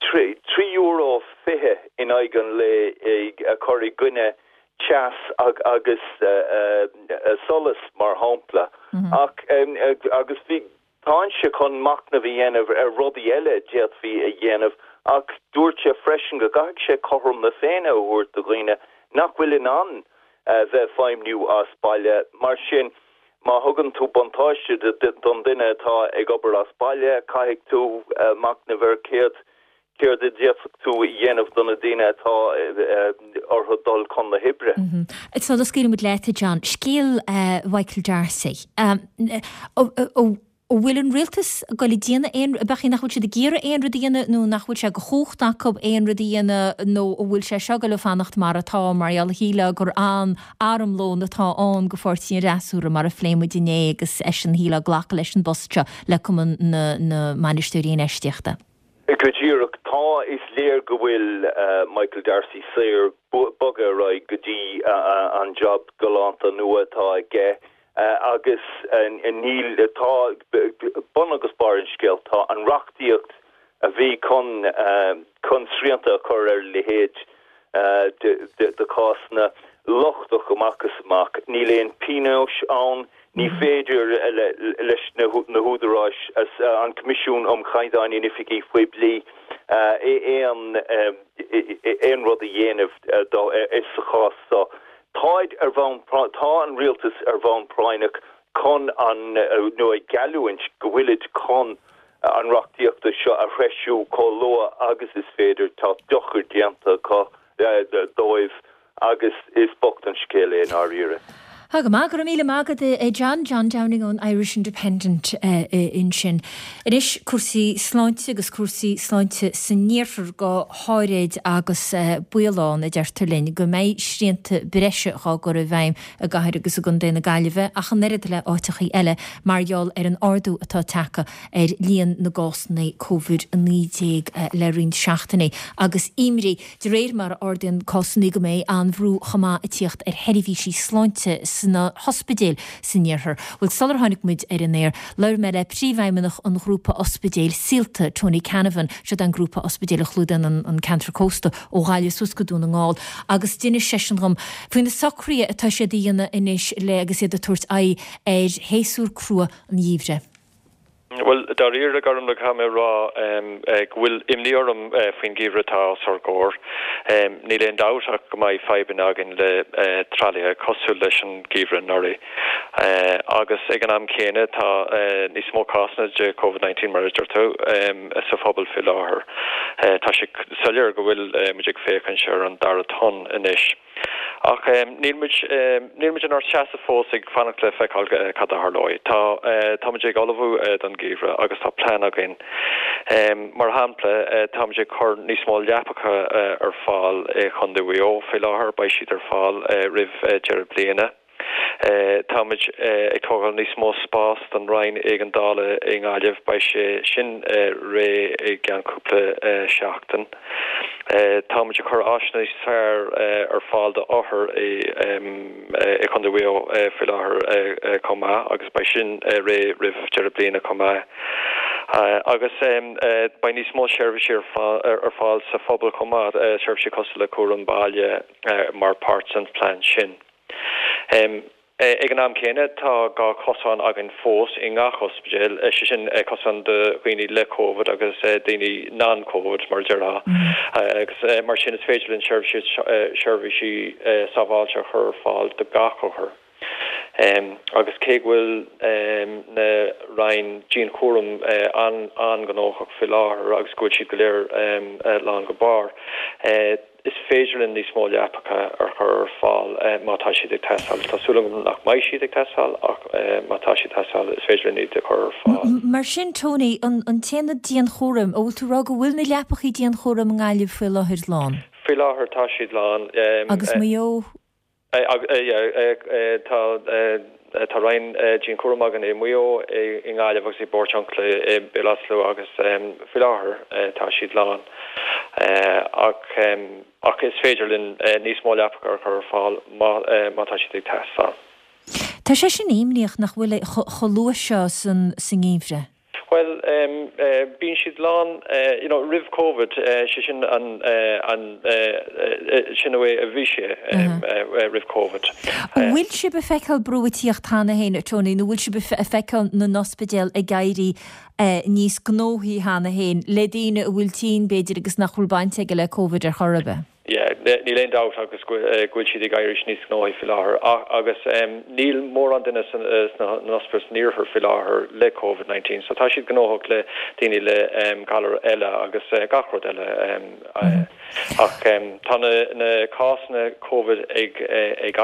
€3.20 in aghaidh an lae a chur i gcoinne teas agus solas, mar shampla. Ach, agus bhí, táimse chun machnamh a dhéanamh ar rudaí eile a d'fhéadfaí a dhéanamh, ach dúirt sé freisin go gcaithfidh sé cothrom na Féinne a thabhairt do dhaoine nach bhfuil in ann bheith ag feidhmniú as baile. Mar sin, má thugann tú buntáiste don duine atá ag obair as baile, caithfidh tú machnamh ar céard céard a d'fhéadfadh tú a dhéanamh do na daoine atá orthu dul chun na hoibre. Sula scaoilimid leat, a John, scéal Mhichael D'Arcy. An bhfuil an rialtas ag goil ag déanamh aon, ab ea nach bhfuil siad ag iarraidh aon rud a dhéanamh nó nach bhfuil sé de chumhacht acu aon rud a dhéanamh nó an bhfuil sé seo ag goil ag fanacht mar atá mar gheall shílfeá gur an-armlón atá ann do pháirtí an fhreasúra mar a phléigh muid inné agus eisean shílfeá ag glacadh leis an bpost seo le Cumann na na mBainisteoirí Infheistíochta. Go díreach. Tá, is léir go bhfuil Michael D'Arcy saor bogadh ar aghaidh go dtí an job galánta nua atá aige agus níl, tá, bun agus barr an scéil, tá an reachtaíocht a bhí chun chun srianta a chur ar a leithéid de chásanna lochtach amach is amach. Níl aon pionóis ann, ní féidir leis na húdaráis, an Coimisiún um Chaighdeáin in Oifigí Poiblí, aon aon rud a dhéanamh sa chás seo. Táid ar bhonn, tá an rialtas ar bhonn práinneach chun an, nó ag geallúint go bhfuilid chun an reachtaíochta seo a threisiú chomh luath agus is féidir. Tá dochar déanta acu dóibh agus is bocht an scéal é i ndáiríre. Tá go maith, go raibh míle maith agat a John, John Downing ón Irish Independent ansin. Anois cúrsaí sláinte agus cúrsaí sláinte san iarthar go háirid agus baol ann, a deirtear linn, go mbeidh srianta breise dhá gcur i bhfeidhm i gcathair agus i gcontae na Gaillimhe ach an oiread le áiteachaí eile mar gheall ar an ardú atá tagtha ar líon na gcásanna Covid-19 le roinnt seachtainí agus imní De réir mar a ardaíonn cásanna go mbeidh an-bhrú chomh maith ag tíocht ar sheirbhísí sláinte sna hospidéil san iarthar. Bhuel, sular tháinig muid ar an aer, labhair mé le Príomhfheidhmeannach an ghrúpa ospidéil Saolta, Tony Canavan, siod an grúpa ospidéil a chlúdaíonn an ceantar cósta ó Ghaillimh suas go Dún na nGall, agus d'inis seisean dhom faoi na socruithe atá siad a dhéanamh anois le agus iad ag tabhairt aghaidh ar shéasúr crua an gheimhridh. Bhuel, dáiríre, a Ghormlaith, caithfidh mé a rá go bhfuil imní orm faoin gheimhreadh atá os ár gcomhair. Níl aon dabht ach go mbeidh fadhbanna againn le tralaithe cosúil leis an gheimhreadh anuraidh. Agus ag an am céanna tá níos mó cásanna de Covid 19, mar a deir tú, sa phobal faoi láthair. Tá sé soiléir go bhfuil muid ag féachaint ar an dara tonn anois. Ach níl muid, níl muid inár seasamh fós ag fanacht le feiceáil cad a tharlóidh. Tá, tá muid ag ullmhú don gheimhreadh agus tá plean againn. Mar shampla, tá muid ag cur níos mó leapacha ar fáil i Chontae Mhaigh Eo faoi láthair, beidh siad ar fáil roimh deireadh bliana. Tá muid ag tógáil níos mó spás don Roinn Éigeandála i nGaillimh, beidh sé sin réidh i gceann cúpla seachtain. Tá muid ag cur áiseanna níos fearr ar fáil do othair i Chontae Mhaigh Eo faoi láthair chomh maith agus beidh sin réidh roimh deireadh bliana chomh maith. Agus beidh níos mó seirbhísí ar fáil sa phobal chomh maith, seirbhísí cosúil le cúram baile mar páirt den phlean sin. Ag an am céanna, tá gá cosán againn fós i ngach ospidéal, sé sin cosán do dhaoine le Covid agus daoine non-Covid, mar a déarfá, agus mar sin is féidir linn seirbhísí sábháilte a chur ar fáil do gach othar. Agus cé go bhfuil na roinn dianchúraim an-ghnóthach faoi láthair agus go bhfuil siad go léir lán go barr, Is féidir linn níos mó leapacha a chur ar fáil má tá siad ag teastáil. Tá súil agam nach mbeidh siad ag teastáil ach má tá siad ag teastáil is féidir linn iad a chur ar fáil. Mar sin, Tony, an t-aonad dianchúraim, an bhfuil tú ag rá go bhfuil na leapachaí dianchúraim i nGaillimh faoi láthair lán? Faoi láthair tá siad lán. Agus Maigh Eo? Tá roinn dianchúraim againn i Maigh Eo, i nGaillimh agus i bPortiuncula i Béal Átha Sluaighe agus faoi láthair tá siad lán. Ach is féidir linn níos mó leapacha a chur ar fáil má tá siad ag teastáil. Tá sé sin imníoch nach bhfuil chomh luath seo san ngeimhreadh. Bhuel, bíonn siad lán, you know, roimh Covid, sé sin an, an, sin an way a bhí sé roimh Covid. An bhfuil sibh ag feiceáil brú ag tíocht cheana féin, a Tony, nó bhfuil sibh ag feiceáil na n-ospidéal ag éirí níos gnóthaí cheana féin le daoine a bhfuil tinn, b'fhéidir, agus nach bhfuil baint aige le Covid ar chor ar bith? Yeah, níl aon dabht agus go bhfuil siad ag éirí níos gnóthaí faoi láthair agus níl mórán duine sna hospidéil san iarthar faoi láthair le Covid 19 so tá siad gnóthach le daoine le galair eile agus gach rud eile ach tá na cásanna Covid ag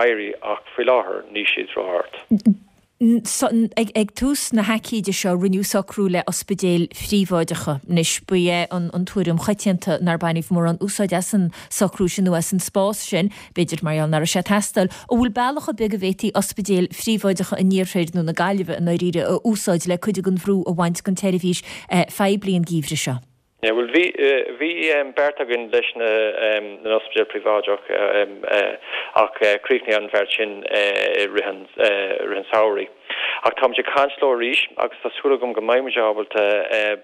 éirí ach faoi láthair níl siad ró-ard. Ag tús na haicíde seo rinneadh socrú le ospidéil phríobháideacha. Anois, ba é an tuairim choitianta nár baineadh mórán úsáid as an socrú sin nó as an spás sin, b'fhéidir mar gheall nach raibh sé ag teastáil. An bhfuil bealach ar bith go bhféadfaí ospidéil phríobháideacha an iarthair nó na Gaillimhe i ndáiríre a úsáid le cuid den bhrú a bhaint den tseirbhís phoiblí an geimhreadh seo? Yeah, bhuel bhí, bhí beart againn leis na n-ospidéal príobháideach ach chríochnaigh an bheart sin i rith an, rith an samhraidh. Ach táimid ag caint leo arís agus tá súil agam go mbeidh muid ábalta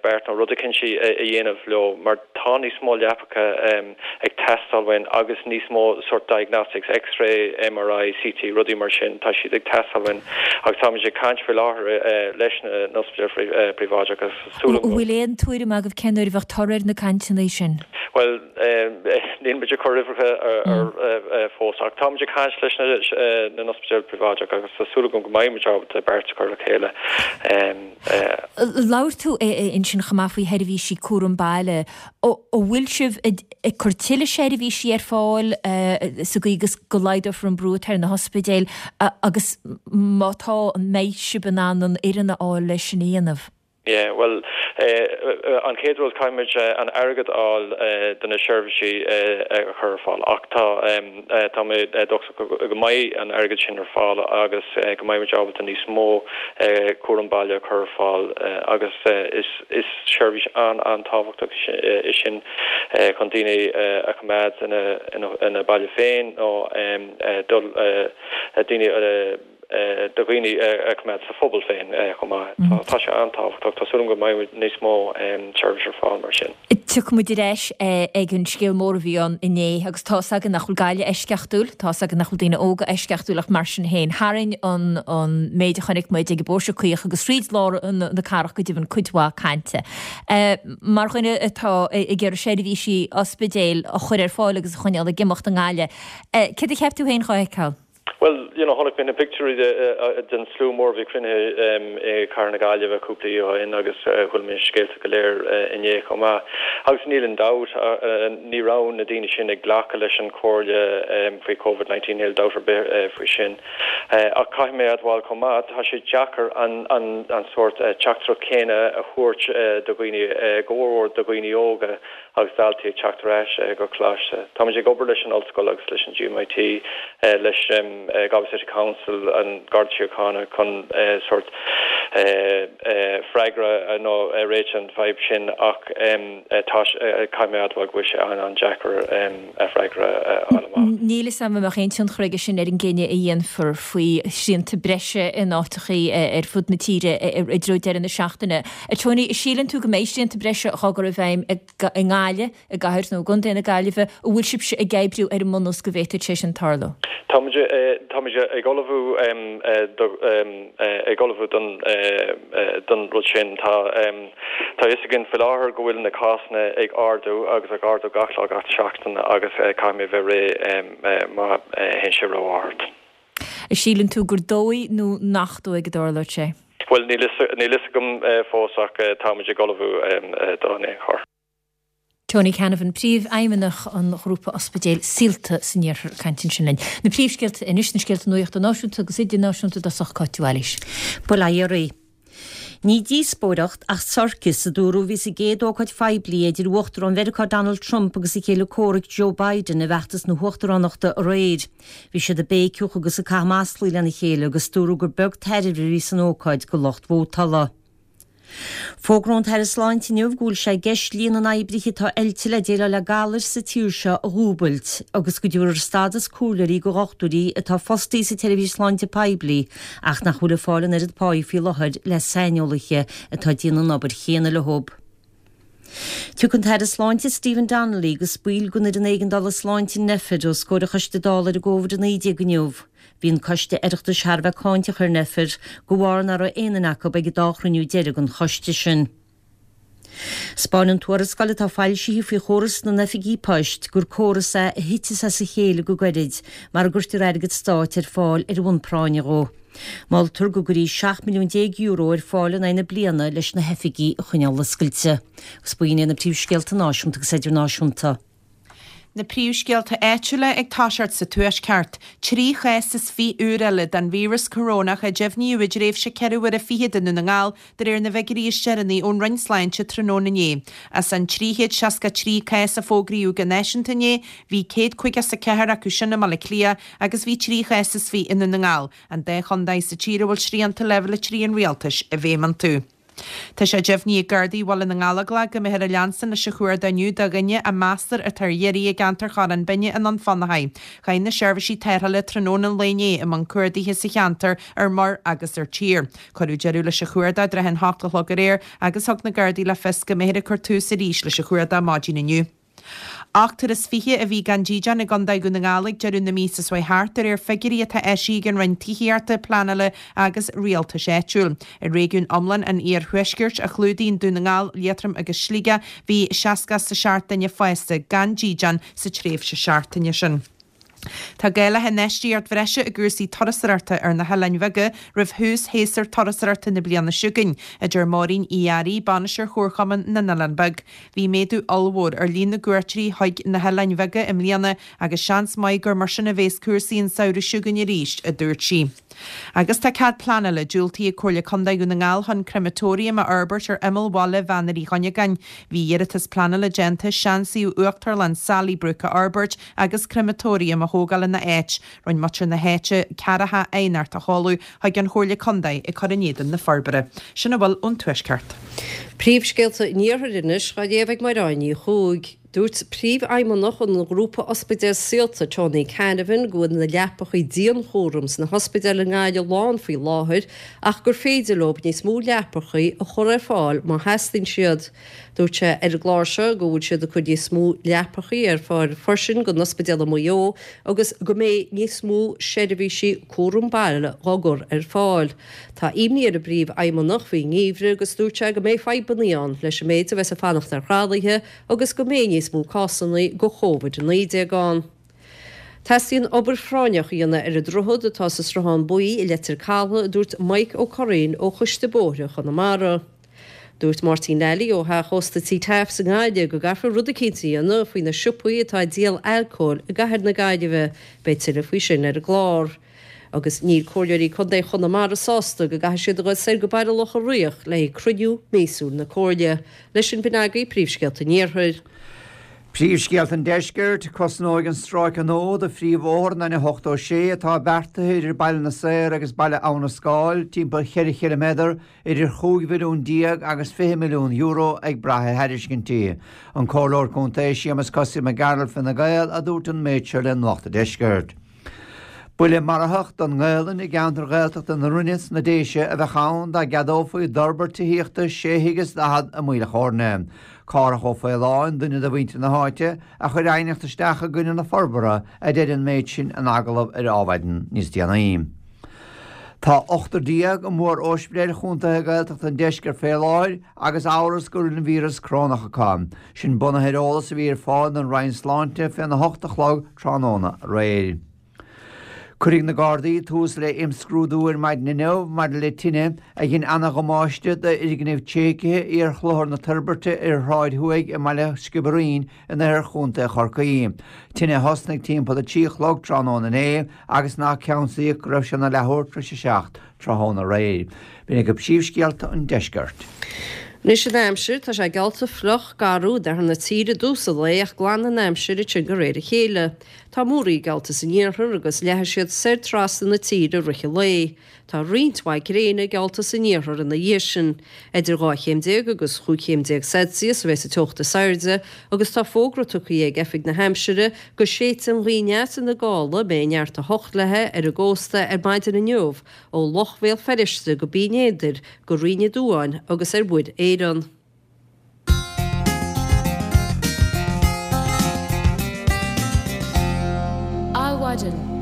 beart nó rud eicínt a dhéanamh leo mar tá níos mó leapacha ag teastáil uainn agus níos mó sort diagnostics, X-ray, MRI, CT, rudaí mar sin, tá siad ag teastáil uainn agus táimid ag caint faoi láthair leis na n-ospidéal príobháideach agus. An bhfuil aon tuairim agaibh cén uair a bheadh toradh ar na cainteanna sin? Bhuel, níl muid ag cur uimhreacha ar fós ach táimid ag caint leis na n-ospidéal príobháideach agus tá súil agam go mbeidh muid ábalta beart a chur le chéile. Labhair tú ansin chomh maith faoi sheirbhísí cúram baile. An bhfuil sibh ag cur tuilleadh seirbhísí ar fáil sa gcaoi agus go laghdófar an brú atá ar na hospidéil agus má tá, an mbeidh sibh in ann an fhoireann a fháil leis sin a dhéanamh? Yeah, bhuel, an chéad rud, caithfimid an airgead a fháil do na seirbhísí a chur ar fáil ach tá, tá mé dóchasach go mbeidh an airgead sin ar fáil agus go mbeidh muid ábalta níos mó cúram baile a chur ar fáil agus is, is seirbhís an-an-tábhachtach é sin chun daoine a choimeád ina, ina baile féin nó dul, daoine a. do dhaoine a choimeád sa phobal féin chomh maith. Tá sé an-tábhachtach. Tá súil agam go mbeidh níos mó seirbhís ar fáil mar sin. Tiocfaidh muid ar ais ag an scéal mór a bhí ann inné agus tá's againn nach bhfuil Gaillimh eisceachtúil, tá's againn nach bhfuil daoine óga eisceachtúil ach mar sin féin, tharraing an an méid a chonaic muid ag an bPóirse Caoch agus thríd lár na cathrach go deimhin cuid mhaith cainte. Mar dhuine atá ag iarraidh seirbhísí ospidéil a chur ar fáil agus a choinneáil ag imeacht i nGaillimh, céard a cheap tú féin dhá fheiceáil? Bhuel, you know, chonaic mé na pictiúirí den slua mór a bhí cruinnithe i gcathair na Gaillimhe cúpla oíche ó shin agus chuala mé na scéalta go léir inné chomh maith. Agus níl aon dabht, ní raibh na daoine sin ag glacadh leis an chomhairle faoi Covid 19, níl dabht ar bith faoi sin. Ach caithfidh mé a admháil chomh maith, tá sé deacair an sórt teachtaireacht chéanna a thabhairt do dhaoine, go mhór mhór do dhaoine óga, agus daltaí ag teacht ar ais go coláiste. Táimid ag obair leis an Ollscoil agus leis an GMIT, leis Galway City Council, an Garda Síochána chun sórt freagra nó réiteach an fadhb sin ach tá, caithfidh mé a admháil go bhfuil sé an-an-deacair freagra a fháil amach. Níl 'fhios a'm an mbeadh aon tionchar aige sin ar an gcinneadh a dhéanfar faoi shrianta breise in áiteachaí ar fud na tíre i dtreo deireadh na seachtaine. A Tony, síleann tú go mbeidh srianta breise dhá gcur i bhfeidhm i nGaillimh, i gcathair nó i gcontae na Gaillimhe, an bhfuil sibhse ag oibriú ar an mbunús go bhféadfadh sé sin tarlú? Táimid, táimid ag ullmhú do, ag ullmhú don, don rud sin. Tá, tá a fhios againn faoi láthair go bhfuil na cásanna ag ardú agus ag ardú gach lá gach seachtain agus caithfimid a bheith réidh má théann sé ró-ard. Síleann tú gur dóigh nó nach dóigh go dtarlóidh sé? Bhuel, níl fhios agam fós ach táimid ag ullmhú dó in aon chor. Tony Canavan, Príomhfheidhmeannach an Ghrúpa Ospidéil Saolta san Iarthar ag caint ansin linn. Na príomhscéalta anois, na scéalta nuachta náisiúnta agus idirnáisiúnta i dtosach Cáit Mhaoilís. Bail ó Dhia oraibh. Ní díospóireacht ach sorcas, a dúradh a bhí sa gcéad ócáid phoiblí idir Uachtarán Mheiriceá Donald Trump agus a chéile comhraic Joe Biden i bhfeachtas na huachtaránachta aréir. Bhí siad ag béiceadh agus ag caitheamh maslaí lena chéile agus dúradh gur beag tairbhe a bhí san ócáid do lucht vótála. Fógróidh an tAire Sláinte inniu go bhfuil sé i gceist líon na n-oibrithe atá oilte le déileáil le galair sa tír seo a dhúbailt agus go dtabharfar stádas comhairleoirí do dhochtúirí atá fostaithe sa tseirbhís sláinte poiblí ach nach bhfuil ag fáil an oiread páí faoi láthair le saineolaithe atá ag déanamh an obair chéanna leo. Tiocfaidh an tAire Sláinte Stephen Donnelly agus baill den Fhoireann Éigeandála Sláinte Nphet os comhair an Choiste Dála ar an gCóvid-19 inniu. Bhí an Coiste Oireachtais thar a bheith cáinteach ar Nphet de bharr nach raibh aon duine acu ag an dá chruinniú deiridh den choiste sin. 'Spáineann tuarascáil atá foilsithe faoi chóras na n-oifigí poist gur córas é a thiteas as a chéile go gairid mara gcuirtear airgead stáit ar fáil ar bhonn práinne dhó. Moltar go gcuirfí €17 milliún ar fáil in aghaidh na bliana leis na hoifigí a choinneáil oscailte. Agus b'in iad na príomhscéalta náisiúnta agus idirnáisiúnta. Na príomhscéalta áitiúla ag toiseacht sa Tuaisceart. 23 chás úr eile den víreas corónach a deimhníodh i dtréimhse ceithre huaire fichead i nDún na nGall de réir na bhfigiúirí is deireanaí ón Roinn Sláinte tráthnóna inné. As an 363 cás a fógraíodh go náisiúnta inné, bhí 154 acu sin i mBaile Átha Cliath agus bhí 3 chás is 20 i nDún na nGall, an dá chontae sa tír a bhfuil srianta Leibhéal 3 an Rialtais i bhfeidhm iontu. Tá sé deimhnithe ag Gardaí Bhaile na nGallóglach go mbeifear ag leanstan leis an chuardach inniu do dhuine a meastar atá ar iarraidh i gceantar Chorrán Binne i nDún Fionnachaidh. Chuaigh na seirbhísí tarrthála tráthnóna an lae inné i mbun cuardaithe sa cheantar ar muir agus ar tír. Cuireadh deireadh leis an chuardach i dtrátha an hocht a chlog aréir agus thug na Gardaí le fios go mbeifear ag cur tús arís leis an chuardach maidin inniu. 28 a bhí gan dídean i gContae Dhún na nGall ag deireadh na míosa seo chuaigh thart, de réir figiúirí atá eisithe ag an Roinn Tithíochta, Pleanála agus Rialtais Áitiúil. I réigiún iomlán an Iarthuaiscirt, a chlúdaíonn Dún na nGall, Liatroim agus Sligeach, bhí 67 duine fásta gan dídean sa tréimhse seachtaine sin. Tá gá le hinfheistíocht bhreise i gcúrsaí turasóireachta ar na hoileáin bheaga roimh thús shéasúr turasóireachta na bliana seo chugainn, a deir Máirín Uí Fhearraigh, Bainisteoir Chomharchumann na nOileán Beag. Bhí méadú ollmhór ar líon na gcuairteoirí chuig na hoileáin bheaga i mbliana agus seans maith gur mar sin a bhéas cúrsaí an samhradh seo chugainn arís, a dúirt sí. Agus tá cead pleanála diúltaithe ag Comhairle Contae Dhún na nGall chun crematorium a fhorbairt ar imeall bhaile Mhainéar Uí Chuinneagáin. Bhí iarratas pleanála déanta seansuíomh Uachtarlann Sallybrook a fhorbairt agus crematorium a thógáil ina áit. Rinne muintir na háite ceathracha aighneacht a sheoladh chuig an Chomhairle Contae ag cur in éadan na forbartha. Sin a bhfuil ón Tuaisceart. Príomhscéalta an Iarthair anois á léamh ag Mairéad Ní Chuaig. Dúirt Príomhfheidhmeannach an ghrúpa ospidéal Saolta, Tony Canavan, go bhfuil na leapachaí dianchúraim sna hospidéil i nGaillimh lán faoi láthair ach gur féidir leo níos mó leapachaí a chur ar fáil má theastaíonn siad. Dúirt sé ar an gclár seo go bhfuil siad ag cur níos mó leapachaí ar fáil freisin don ospidéal i Maigh Eo agus go mbeidh níos mó seirbhísí cúram baile á gcur ar fáil. Tá imní ar an bPríomhfheidhmeannach faoin ngeimhreadh agus dúirt sé go mbeidh fadhbanna ann leis an méid a bheas ag fanacht ar thralaithe agus go mbeidh níos mó cásanna de Covid-19 ann. Teastaíonn obair phráinneach a dhéanamh ar an droichead atá sa Sruthán Buí i Leitir Caladh, a dúirt Mike Ó Curraoin ó Choiste Bóithre Chonamara. Dúirt Máirtín Lally ó theach ósta Tí Taaffes i nGaillimh go gcaithfear rud eicínt a dhéanamh faoi na siopaí atá ag díol alcóil i gcathair na Gaillimhe. Beidh tuilleadh faoi sin ar an gclár. Agus níl Comhairleoirí Contae Chonamara sásta go gcaithfidh siad a dhul soir go Baile Locha Riach le haghaidh cruinniú míosúil na Comhairle. Leis sin b'in agaibh príomhscéalta an Iarthair. Príomhscéalta an Deiscirt, Cosnóidh an stráice nua de phríomhbhóthar an N86 atá beartaithe idir Baile na Saor agus Baile Abha na Scáil timpeall cheithre chiliméadar, idir €15 mhilliún agus €20 milliún ag brath ar thairiscintí. An Comhairleoir Contae Séamus Kossy Mac Gearailt Fine Gael a dúirt an méid seo le Nuacht an Deiscirt. Buille marfach don nGaelainn i gceantar Ghaeltachta na Rinne sna Déise a bheadh ann dá gceadófaí d'fhorbairt tithíochta sé thigh is daichead i Maoil a' Chóirne. Cárthach Ó Faoláin, duine de mhuintir na háite, a chuir aighneacht isteach i gcoinne na forbartha, a deir an méid sin in agallamh ar Adhmhaidin níos déanaí. Tá ochtar i mórOspidéil chontaetha Gaeltachta an deiscirt fé láthair agus amhras go bhfuil an víreas corónach acu. Sin bunaithe ar eolas a bhí ar fáil don Roinn Sláinte féna hocht a chlog tráthnóna aréir. Cuirfidh na Gardaí tús le imscrúdú ar maidin inniu maidir le tine a dhein ana-dhamáiste d'fhoirgneamh tréigthe iar-Chlochar na Toirbhirte ar Shráid Thuaidh i mbaile Sciobairín in oirthear chontae Chorcaí. Tine a thosnaigh timpeall a 3 a chlog tráthnóna inné agus nach ceansaíodh go raibh sé ina leathuair tar éis a 7 tráthnóna aréir. B'in agaibh príomhscéalta an deiscirt. Anois an aimsir, tá sé geallta fliuch, garbh d'oirthear na tíre i dtús an lae ach glanfaidh an aimsir ansin de réir a chéile. Tá múraí geallta san iarthar agus leathfaidh siad soir trasna na tíre i rith an lae. Tá roinnt mhaith gréine geallta san iarthar ina dhiaidh sin. Idir 12 chéim agus 15 chéim Celsius a bheas an teocht is airde agus tá fógra tugtha ag Oifig na hAimsire go séidfidh an ghaoth aneas ina gála a mbeidh neart 8 léi ar an gcósta ar maidin inniu ó Loch Bhéal Feirste go Binn Éadair go Rinn Ó Duáin agus ar Mhuir Éireann. Adhmhaidin.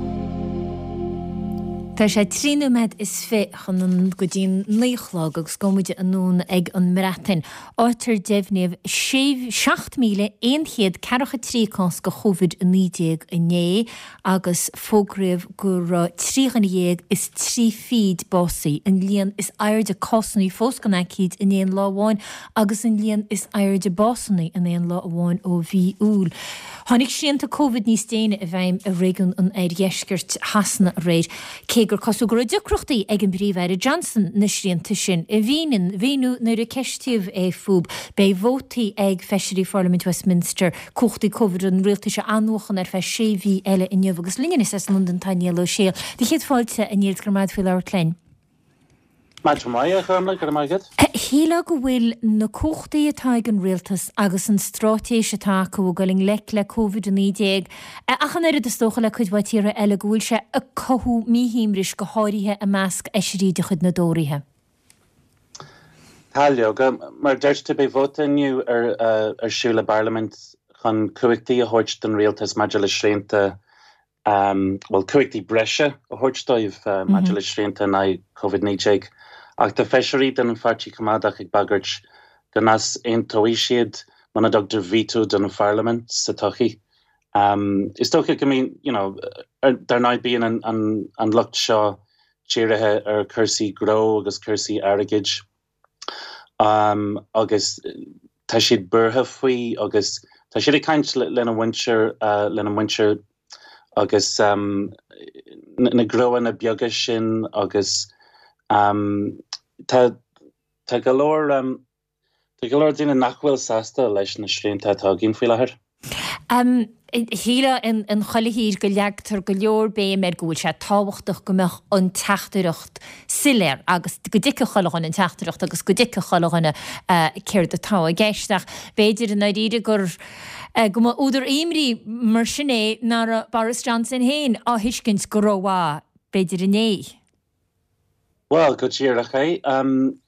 Tá sé 23 nóiméad chun an go dtí an 9 a chlog agus gabhfaidh muid anonn ag an mBreatain, áit ar deimhníodh 7,143 cás de Covid-19 inné agus fógraíodh go raibh 13 dhuine is 30 básaithe, an líon is airde cásanna fós den aicíd in aon lá amháin agus an líon is airde básanna in aon lá amháin ó mhí Iúil. Tháinig srianta Covid níos déine i bhfeidhm i réigiún an oirdheiscirt Shasana aréir, cé gur cosúil go raibh deacrachtaí ag an bPríomh-Aire Johnson na srianta sin a mhíniú nuair a ceistíodh é fúthu. Beidh vótaí ag feisirí Pharlaimint Westminster cumhachtaí Covid an rialtais a athnuachan ar feadh sé mhí eile inniu agus linn anois as Londain tá Niall Ó Sé. Do chéad fáilte, a Néill, go raibh maith agat faoi labhairt linn. Maidin mhaith, a Ghormlaith, go raibh maith agat. Shílfeá go bhfuil na cumhachtaí atá ag an rialtas agus an straitéis atá acu ag dul i ngleic le Covid-19, ach an oiread is dócha le cuid mhaith tíortha eile, go bhfuil sé ag cothú míshuaimhnis, go háirithe i measc fheisirí de chuid na dTóraithe. Tá, leoga. Mar a deir tú, beidh vóta inniu ar siúl i bParlaimint. chun cumhachtaí a thabhairt don rialtas maidir le srianta, bhuel, cumhachtaí breise a thabhairt dóibh maidir le srianta in aghaidh Covid-19. Ach tá feisirí den Pháirtí Coimeádach ag bagairt go n-easaontóidh siad muna dtugtar veto don Pharlaimint sa todhchaí. Is dócha go mbíonn, you know, dar ndóigh bíonn an, an, an lucht seo dírithe ar chúrsaí gnó agus cúrsaí airgid agus tá siad buartha faoi agus tá siad ag caint lena mhuintir, lena muintir agus na gnóanna beaga sin agus tá, tá go leor, Tá go leor daoine nach bhfuil sásta leis na srianta atá againn faoi láthair. Shílfeá in chuile thír go leagtar go leor béim ar go bhfuil sé tábhachtach go mbeadh an teachtaireacht soiléir agus go dtuigfeadh chuile dhuine an teachtaireacht agus go dtuigfeadh chuile dhuine céard atá i gceist. Ach b'fhéidir i ndáiríre gur go mba údar imní mar sin é nach raibh Boris Johnson féin á thuiscint go rómhaith b'fhéidir inné. Bhuel, go díreach é.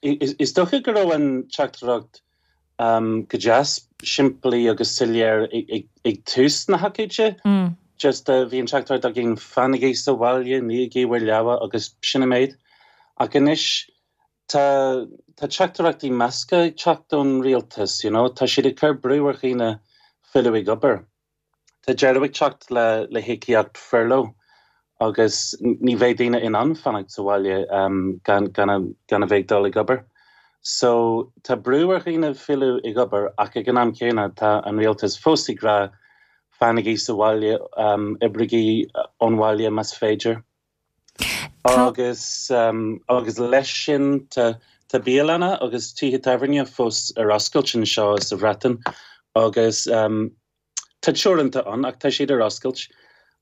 Is dócha go raibh an teachtaireacht go deas simplí agus soiléir ag tús na hócáide. Just bhí an teachtaireacht againn fanaigí sa bhaile, nígí bhur leaba agus sin an méid. Ach anois tá tá teachtaireachtaí measctha ag teacht ón rialtas, you know. Tá siad ag cur brú ar dhaoine filleadh ag obair. Tá deireadh ag teacht le híocaíocht furlough agus ní bheidh daoine in ann fanacht sa bhaile gan a bheith ag dul ag obair. So tá brú ar dhaoine filleadh ag obair ach ag an am céanna tá an rialtas fós ag rá fanaigí sa bhaile, oibrigí ón bhaile más féidir. Agus agus leis sin tá tá bialanna agus tithe tábhairne fós ar oscailt anseo sa Bhreatain agus tá teoranta ann ach tá siad ar oscailt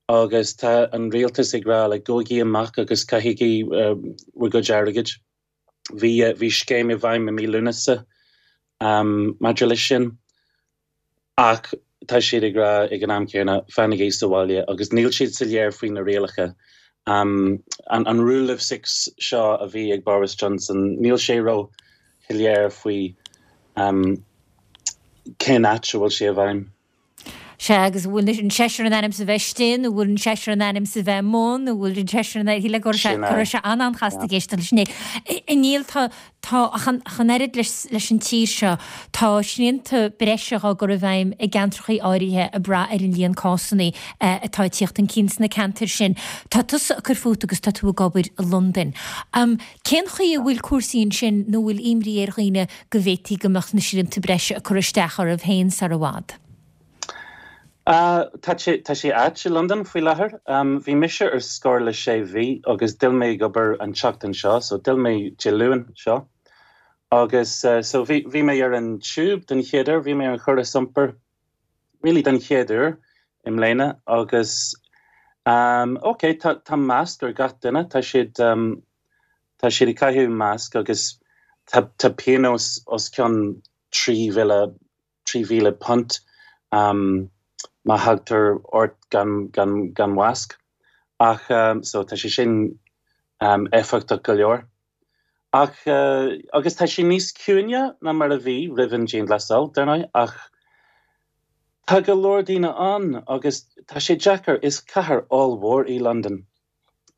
agus tá an rialtas ag rá like gabhaigí amach agus caithigí bhur gcuid airgid. Bhí bhí scéim i bhfeidhm i mí Lúnasa maidir leis sin. Ach tá siad ag rá ag an am céanna, fanaigí sa bhaile agus níl siad soiléir faoi na rialacha. An rule of six seo a bhí ag Boris Johnson, níl sé ró-shoiléir faoi cén áit a bhfuil sé i bhfeidhm. Sea, agus an bhfuil an seisear in ainm is a bheith istigh, nó bhfuil an seisear in ainm is a bheith amuigh, nó bhfuil an seisear in ainm, go raibh sé an-an-chasta ag éisteacht leis inné. A Niall, tá, Tá, ach an oiread leis an tír seo, tá srianta breise á gcur i bhfeidhm i gceantrachaí áirithe ag brath ar an líon cásanna atá ag tíocht chun cinn sna ceantair sin. Tá tusa ag cur fút agus tá tú ag obair i Londain. Cén chaoi a bhfuil cúrsaí ansin nó bhfuil imní ar dhaoine go bhféadfaí go mbeadh na srianta breise ag cur isteach oraibh féin sar i bhfad? Tá sé, tá sé ait i Londain faoi láthair. Bhí mise ar scor le sé mhí agus d'fhill mé ag obair an tseachtain seo, so d'fhill mé Dé Luain seo. Agus so bhí, bhí mé ar an tube den chéad uair, bhí mé ar an chóras iompair really den chéad uair i mbliana agus ok, tá, tá masc ar gach duine, tá siad, tá siad ag caitheamh masc agus tá, tá pionós os cionn 3,000 £3,000 má thagtar ort gan gan mhasc. Ach so tá sé sin éifeachtach go leor. Ach agus tá sé níos ciúine ná mar a bhí roimh an dianghlasáil, dar ndóigh, ach tá go leor daoine ann agus tá sé deacair, is cathair ollmhór í Londain.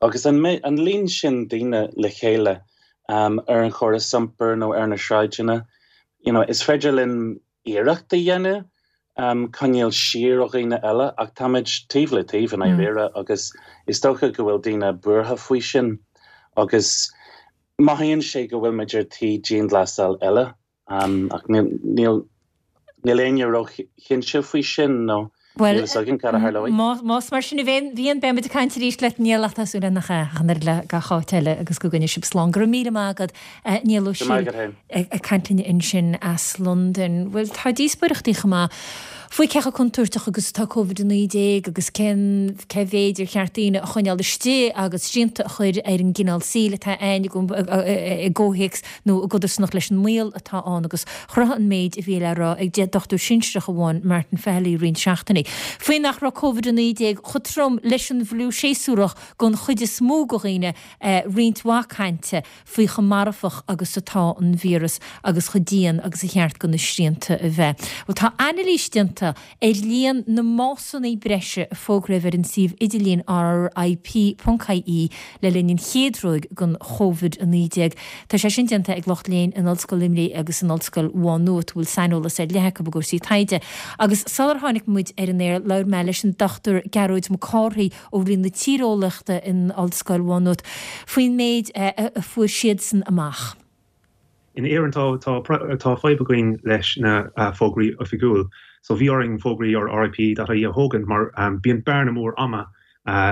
Agus an an líon sin daoine le chéile ar an chóras iompair nó ar na sráideanna, you know, is féidir linn iarracht a dhéanamh coinneáil siar ó dhaoine eile ach táimid taobh le taobh i ndáiríre agus is dócha go bhfuil daoine buartha faoi sin agus mothaíonn sé go bhfuil muid ar tí dianghlasáil eile. Ach níl éinne ró-chinnte faoi sin nó níl fhios againn cad a tharlóidh. Más mar sin a bhíonn, beidh muid ag caint arís leat Niall ach tá súil againn nach ea, ach an oiread le gach áit eile agus go gcoinneoidh sibh slán. Go raibh míle maith agat, Niall Ó Siail, ag caint linn ansin as Londain. Bhuel, tá díospóireachtaí chomh maith faoi cé chomh contúirteach agus atá Covid-19 agus cén cé mhéid ar cheart daoine a choinneáil istigh agus srianta a chur ar an gcineál saoil atá againn i gcomhthéacs nó i gcodarsnacht leis an mbaol atá ann agus chruthaigh an méid a bhí le rá ag dochtúir sinsearach amháin, Martin Fehily, roinnt seachtainí faoi nach raibh Covid-19 chomh trom leis an bhfliú séasúrach don chuid is mó de dhaoine, roinnt mhaith cainte faoi chomh marfach agus atá an víreas agus chomh dian agus a cheart do na srianta a bheith. Bhuel, tá anailís déanta. déanta ar líon na mbásanna breise a fógraíodh ar an suíomh idirlín RIP.ie le linn an chéad ruaig den Chovid-19. Tá sé sin déanta ag lucht léinn in Ollscoil Luimnigh agus in Ollscoil Mhá Nuat a bhfuil saineolas ar leith acu i gcúrsaí taighde. Agus sular tháinig muid ar an aer labhair mé leis an Dr Gearóid Mac Cárthaigh ó Roinn na Tíreolaíochta in Ollscoil Mhá Nuat faoin méid a fuair siadsan amach. In Éirinn tá tá fadhb againn leis na fógraí oifigiúil. So bhí orainn fógraí ar RIP.ie a thógaint mar bíonn bearna mór ama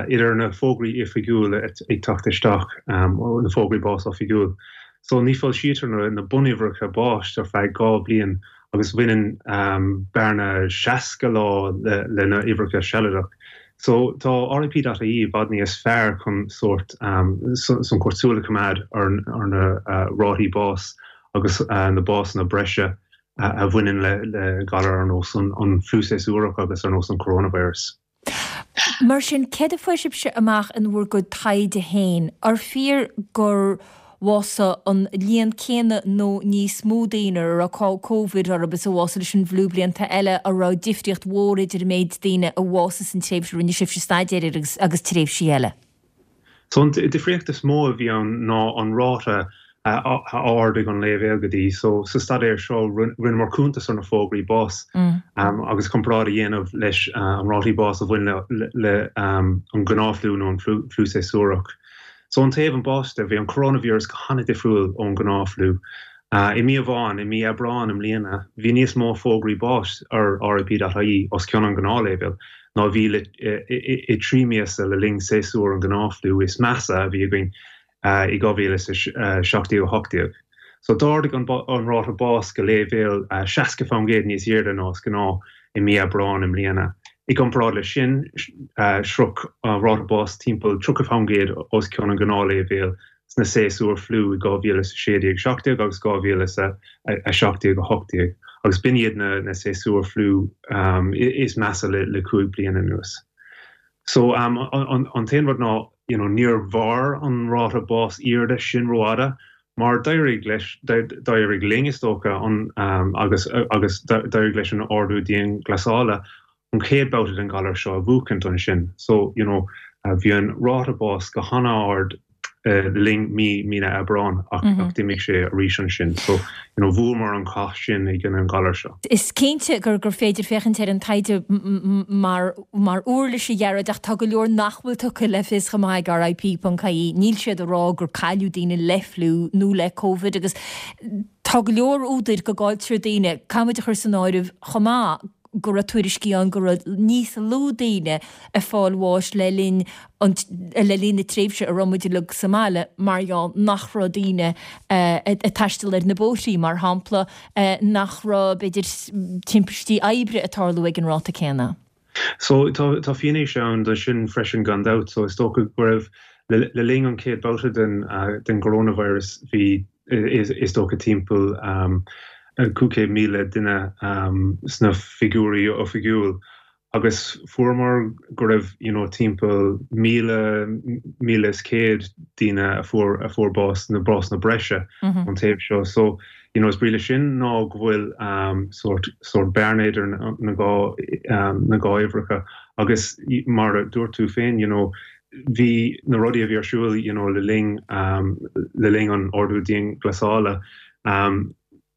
idir na fógraí oifigiúil ag teacht isteach, na fógraí bás oifigiúil. So ní foilsítear na bunuimhreacha báis ar feadh 2 bhliain agus bhaineann bearna 60 lá le na uimhreacha sealadach. So tá RIP.ie i bhfad níos fearr chun sórt san súil a choimeád ar na rátaí bás agus na básanna breise a bhaineann le galar ar nós an fliú séasúrach agus ar nós an coronavirus. Mar sin, céard a fuair sibhse amach in bhur gcuid taighde féin? Ar fíor gur bhásaigh an líon céanna nó níos mó daoine a raibh Covid orthu is a bhásaigh leis an bhfliú blianta eile? An raibh difríocht mhór idir an méid daoine a bhásaigh san tréimhse a rinne sibhse staidéar air agus tréimhsí eile? So an difríocht is mó a bhí ann ná an ráta a ardaigh an léibhéal go dtí. So sa staidéar seo rinneamar cuntas ar na fógraí báis agus comparáid a dhéanamh leis an rátaí bás a bhain le an gnáthfhliú nó an fliú séasúrach. So ón taobh an báis de, bhí an coronavirus go han-difriúil ón gnáthfhliú. I mí amháin, i mí Aibreáin i mbliana, bhí níos mó fógraí báis ar RIP.ie os cionn an gnáthléibhéil ná a bhí le i 3 míosa le linn séasúr an ghnáthfhliú is measa a bhí againn i 2017 18. So d'ardaigh an ráta bás go léibhéal 60% níos airde ná is gnáth i mí Aibreáin i mbliana. I gcomparáid leis sin, shroich an ráta bás timpeall 30% os cionn an ghnáthléibhéil sna séasúir fliú i 2016 17 agus 2017 18, agus b'in iad na séasúir fliú is measa le 5 bliana anuas. So, an t-aon rud ná, you know, níor mhair an ráta bás airde sin rófhada, mar d'éirigh leis, d'éirigh linn, is dócha, an, agus, agus d'éirigh leis an ordú dianghlasála an chéad babhta den ghalar seo a bhuachaint ansin. So, you know, bhí an ráta bás go han-ard le linn mí, mí na Aibreán ach, ach d'imigh sé arís ansin. So, you know, bhuamar an cath sin i gcoinne an ghalair seo. Is cinnte gur gur féidir féachaint ar an taighde mar mar uirlis, a Ghearóid, ach tá go leor nach bhfuil tugtha le fios chomh maith ag RIP.ie. Níl siad ag rá gur cailleadh daoine le fliú nó le Covid agus tá go leor údair go gcailltear daoine. Caithfidh muid a chur san áireamh chomh maith go raibh tuairiscí ann go raibh níos lú daoine ag fáil bháis le linn an le linn na tréimhse a raibh muid uilig sa mbaile mar gheall nach raibh daoine ag taisteal ar na bóithrí, mar shampla, nach raibh, b'fhéidir, timpistí oibre ag tarlú ag an ráta céanna. So, tá tá fianaise ann do sin freisin gan dabht. So, is dócha go raibh le le linn an chéad babhta den den gcoróinvíreas bhí is dócha timpeall 500,000 duine sna figiúirí oifigiúil agus fuaireamar go raibh you know timpeall 1,000, 1,100 daoine a fuair a fuair bás na básanna breise ón taobh seo. So you know is brí leis sin ná go bhfuil sórt sórt bearna idir na dhá na dhá uimhreacha agus mar a dúirt tú féin you know bhí na rudaí a bhí ar siúl you know le linn le linn an ordú dianghlasála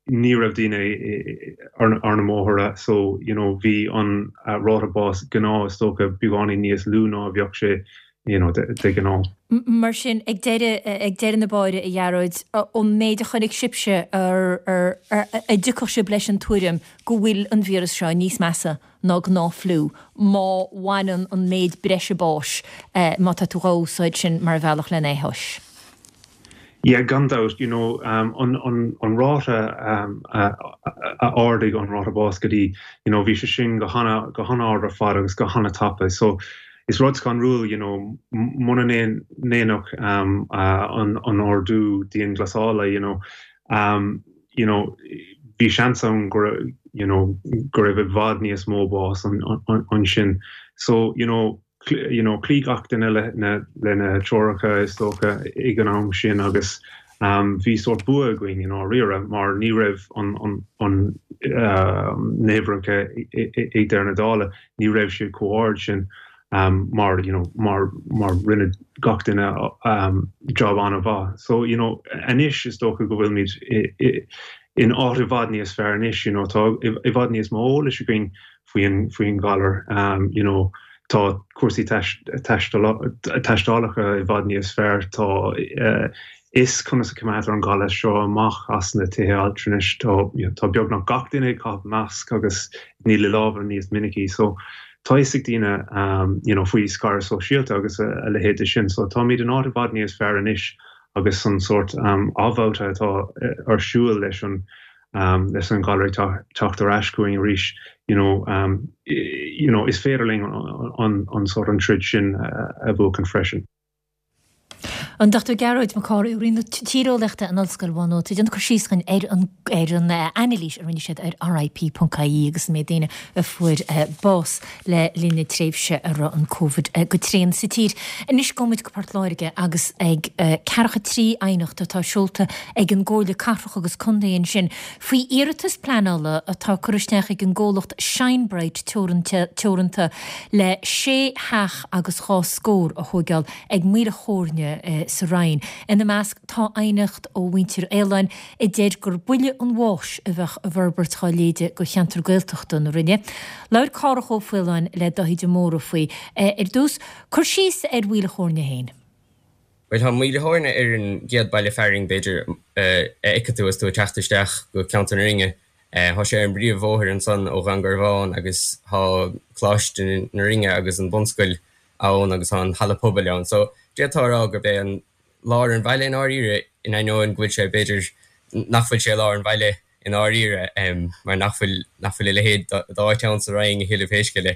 ní raibh daoine ar na mbóithre so you know bhí an ráta bás gnáth is dócha beagáinín níos lú ná a bheadh sé you know de ghnáth. Mar sin ag deireadh ag deireadh na báire a Ghearóid, ón méid a chonaic sibhse ar ar an dtiocfadh sibh leis an tuairim go bhfuil an víreas seo níos measa ná gnáth-fhliú má bhaineann an méid breise báis, má tá tú dhá úsáid sin mar bhealach lena é thomhas. Yeah, gan dabht, you know, an, an, an ráta a ardaigh an ráta báis go dtí, you know, bhí sé sin go hana, go han-ard ar fad agus go hana-tapa. So, is rud scanrúil, you know, muna ndéanfadh an, an ordú dianghlasála, you know, you know, bhí seans ann go raibh, you know, go raibh i bhfad níos mó bás ansin. So, you know, you know, chloígh gach duine le na, le na treoracha is dócha ag an am sin agus. Bhí sórt bua againn i ndáiríre mar ní raibh an na huimhreacha ag deireadh na dála, ní raibh siad chomh hard sin mar you know mar mar rinne gach duine job an-mhaith. So you know anois is dócha go bhfuilimid in áit i bhfad níos fearr anois, you know tá i bhfad níos mó eolais againn faoin faoin ghalar you know tá cúrsaí taistealacha i bhfad níos fearr, tá fhios conas a choimeádtar an galar seo amach as na tithe altranais, tá tá beagnach gach duine ag caitheamh masc agus ag ní a lámha níos minicí so tá fhios ag daoine you know faoi scaradh sóisialta agus a leithéid de sin so táimid in áit i bhfad níos fearr anois agus an sórt athbhabhta atá ar siúl leis an leis an ghalar ag teacht ar ais chugainn arís, you know, you know, is féidir linn an, an sórt an troid sin a bhuachan freisin. An Dr Gearóid Mac Cárthaigh ó Roinn na Tíreolaíochta in Ollscoil Mhá Nuad ag déanamh cur síos dhúinn ar an ar an anailís a rinne siad ar RIP.ie agus an méid daoine a fuair bás le linn na tréimhse a raibh an Covid go tréan sa tír. Anois gabhfaidh muid go Port Láirge agus ag ceathracha 3 aighneacht atá seolta ag an gComhairle Cathrach agus Contae ansin faoi iarratas pleanála atá curtha isteach ag an gcomhlacht Shine Bright Teoranta le sé theach agus dhá scór a thóigeáil ag Maoil a' Chóirne sa Rinn. Ina measc tá aighneacht ó mhuintir Fhaoláin a deir gur buille an bháis a bheadh i bhforbairt dá leithéide do cheantar Gaeltachta na Rinne. Labhair Cárthach Ó Faoláin le Dáithí de Mórdha faoi. Ar dtús, cur síos ar Mhaoil a' Chóirne féin. Bhuel, tá Maoil a' Chóirne ar an gcéad baile fearainn, b'fhéidir, a fheicfidh tú agus tú ag teacht isteach go ceantar na Rinne. Tá sé ar an bpríomhbhóthar ansan ó Dhún Garbhán agus tá Coláiste na Rinne agus an bhunscoil ann agus tá an halla pobail ann. So, d'fhéadfá a rá gurb é an lár an bhaile i ndáiríre, in ainneoin go bhfuil sé, b'fhéidir, nach bhfuil sé i lár an bhaile i ndáiríre, mar nach bhfuil, nach bhfuil a leithéid d'áit ann sa Rinn a thuilleadh pé scéal é.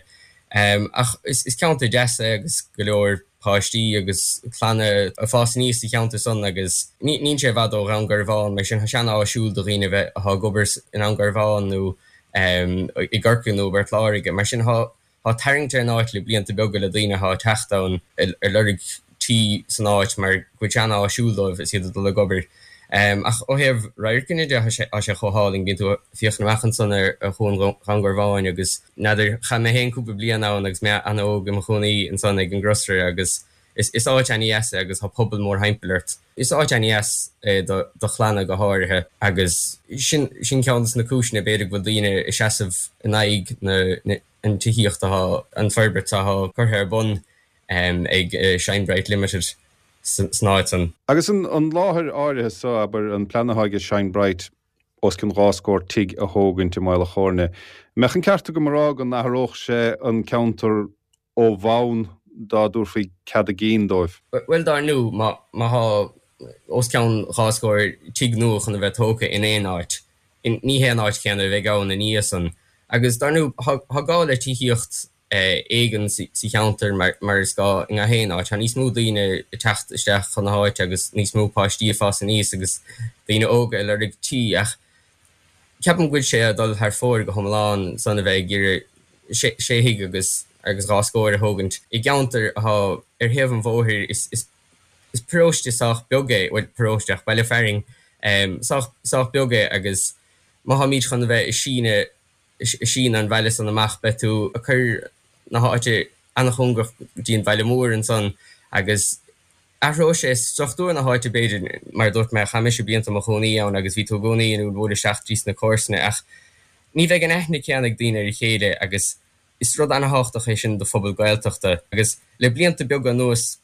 Ach is ceantar deas é agus go leor páistí agus clanna ag fás aníos sa cheantar san agus níl sé i bhfad ó Dhún Garbhán, mar sin tá sé an-áisiúil do dhaoine a bheith, atá ag obair i nDún Garbhán nó i gCorcaigh nó i bPort Láirge. Mar sin tá Tá tarraingt ar an áit le blianta beaga le daoine atá ag teacht ann ag lorg tí san áit mar go bhfuil sé an-áisiúil dóibh is iad ag dul ag obair. Ach ó thaobh radharcanna de, tá sé chomh hálainn. Bíonn tú ag féachaint amach ansan ar Chuan Dhún Garbháin agus n'fheadar, chaith mé féin cúpla bliain ann agus mé an-óg i mo chónaí ansan ag an gCrosra agus is áit an-dheas é agus tá pobal mórthimpeall ort. Is áit an-dheas é do chlanna go háirithe agus sin ceann de na cúiseanna b'fhéidir go bhfuil daoine ag seasamh in aghaidh na an tithíocht atá, an forbairt atá curtha ar bun ag Shine Bright Limited san áit san. Agus an láthair áirithe so, abair, an plean atá ag Shine Bright os cionn 2 scór tigh a thógaint i Maol a' Chóirne, an mbeadh an ceart agam a rá go n-athródh sé an ceantar ó bhonn dá dtabharfaí cead a gcinn dóibh? Bhuel, dár ndú, má tá os cionn 2 scór tigh nua chun a bheith tógtha in aon áit, ní hé an áit chéanna a bheidh ann ina dhiaidh san. Agus dar ndú, tá gá le tithíocht éigin sa cheantar mar is gá i ngach aon áit. Tá níos mó daoine ag teacht isteach chun na háite agus níos mó páistí ag fás aníos agus daoine óga ag lorg tí ach ceapaim go bhfuil sé ag dul thar fóir go hiomlán san a bheith ag iarraidh sé thigh agus agus 2 scór a thógaint i gceantar atá ar thaobh an bhóthair. Is Is paróiste sách beag é, bhuel, paróiste, ach baile fearainn sách, sách beag é agus má tháimid chun a bheith ag síneadh, ag síneadh an bhaile san amach, beidh tú ag cur na háite an-chóngarach go dtí an baile mór ansan agus athróidh sé struchtúr na háite b'fhéidir, mar a dúirt mé, chaith mise blianta i mo chónaí ann agus bhí tú i gcónaí in ann bualadh isteach trí sna comharsana ach ní bheidh an aithne céanna ag daoine ar a chéile agus is rud an-thábhachtach é sin do phobal Gaeltachta agus le blianta beaga anuas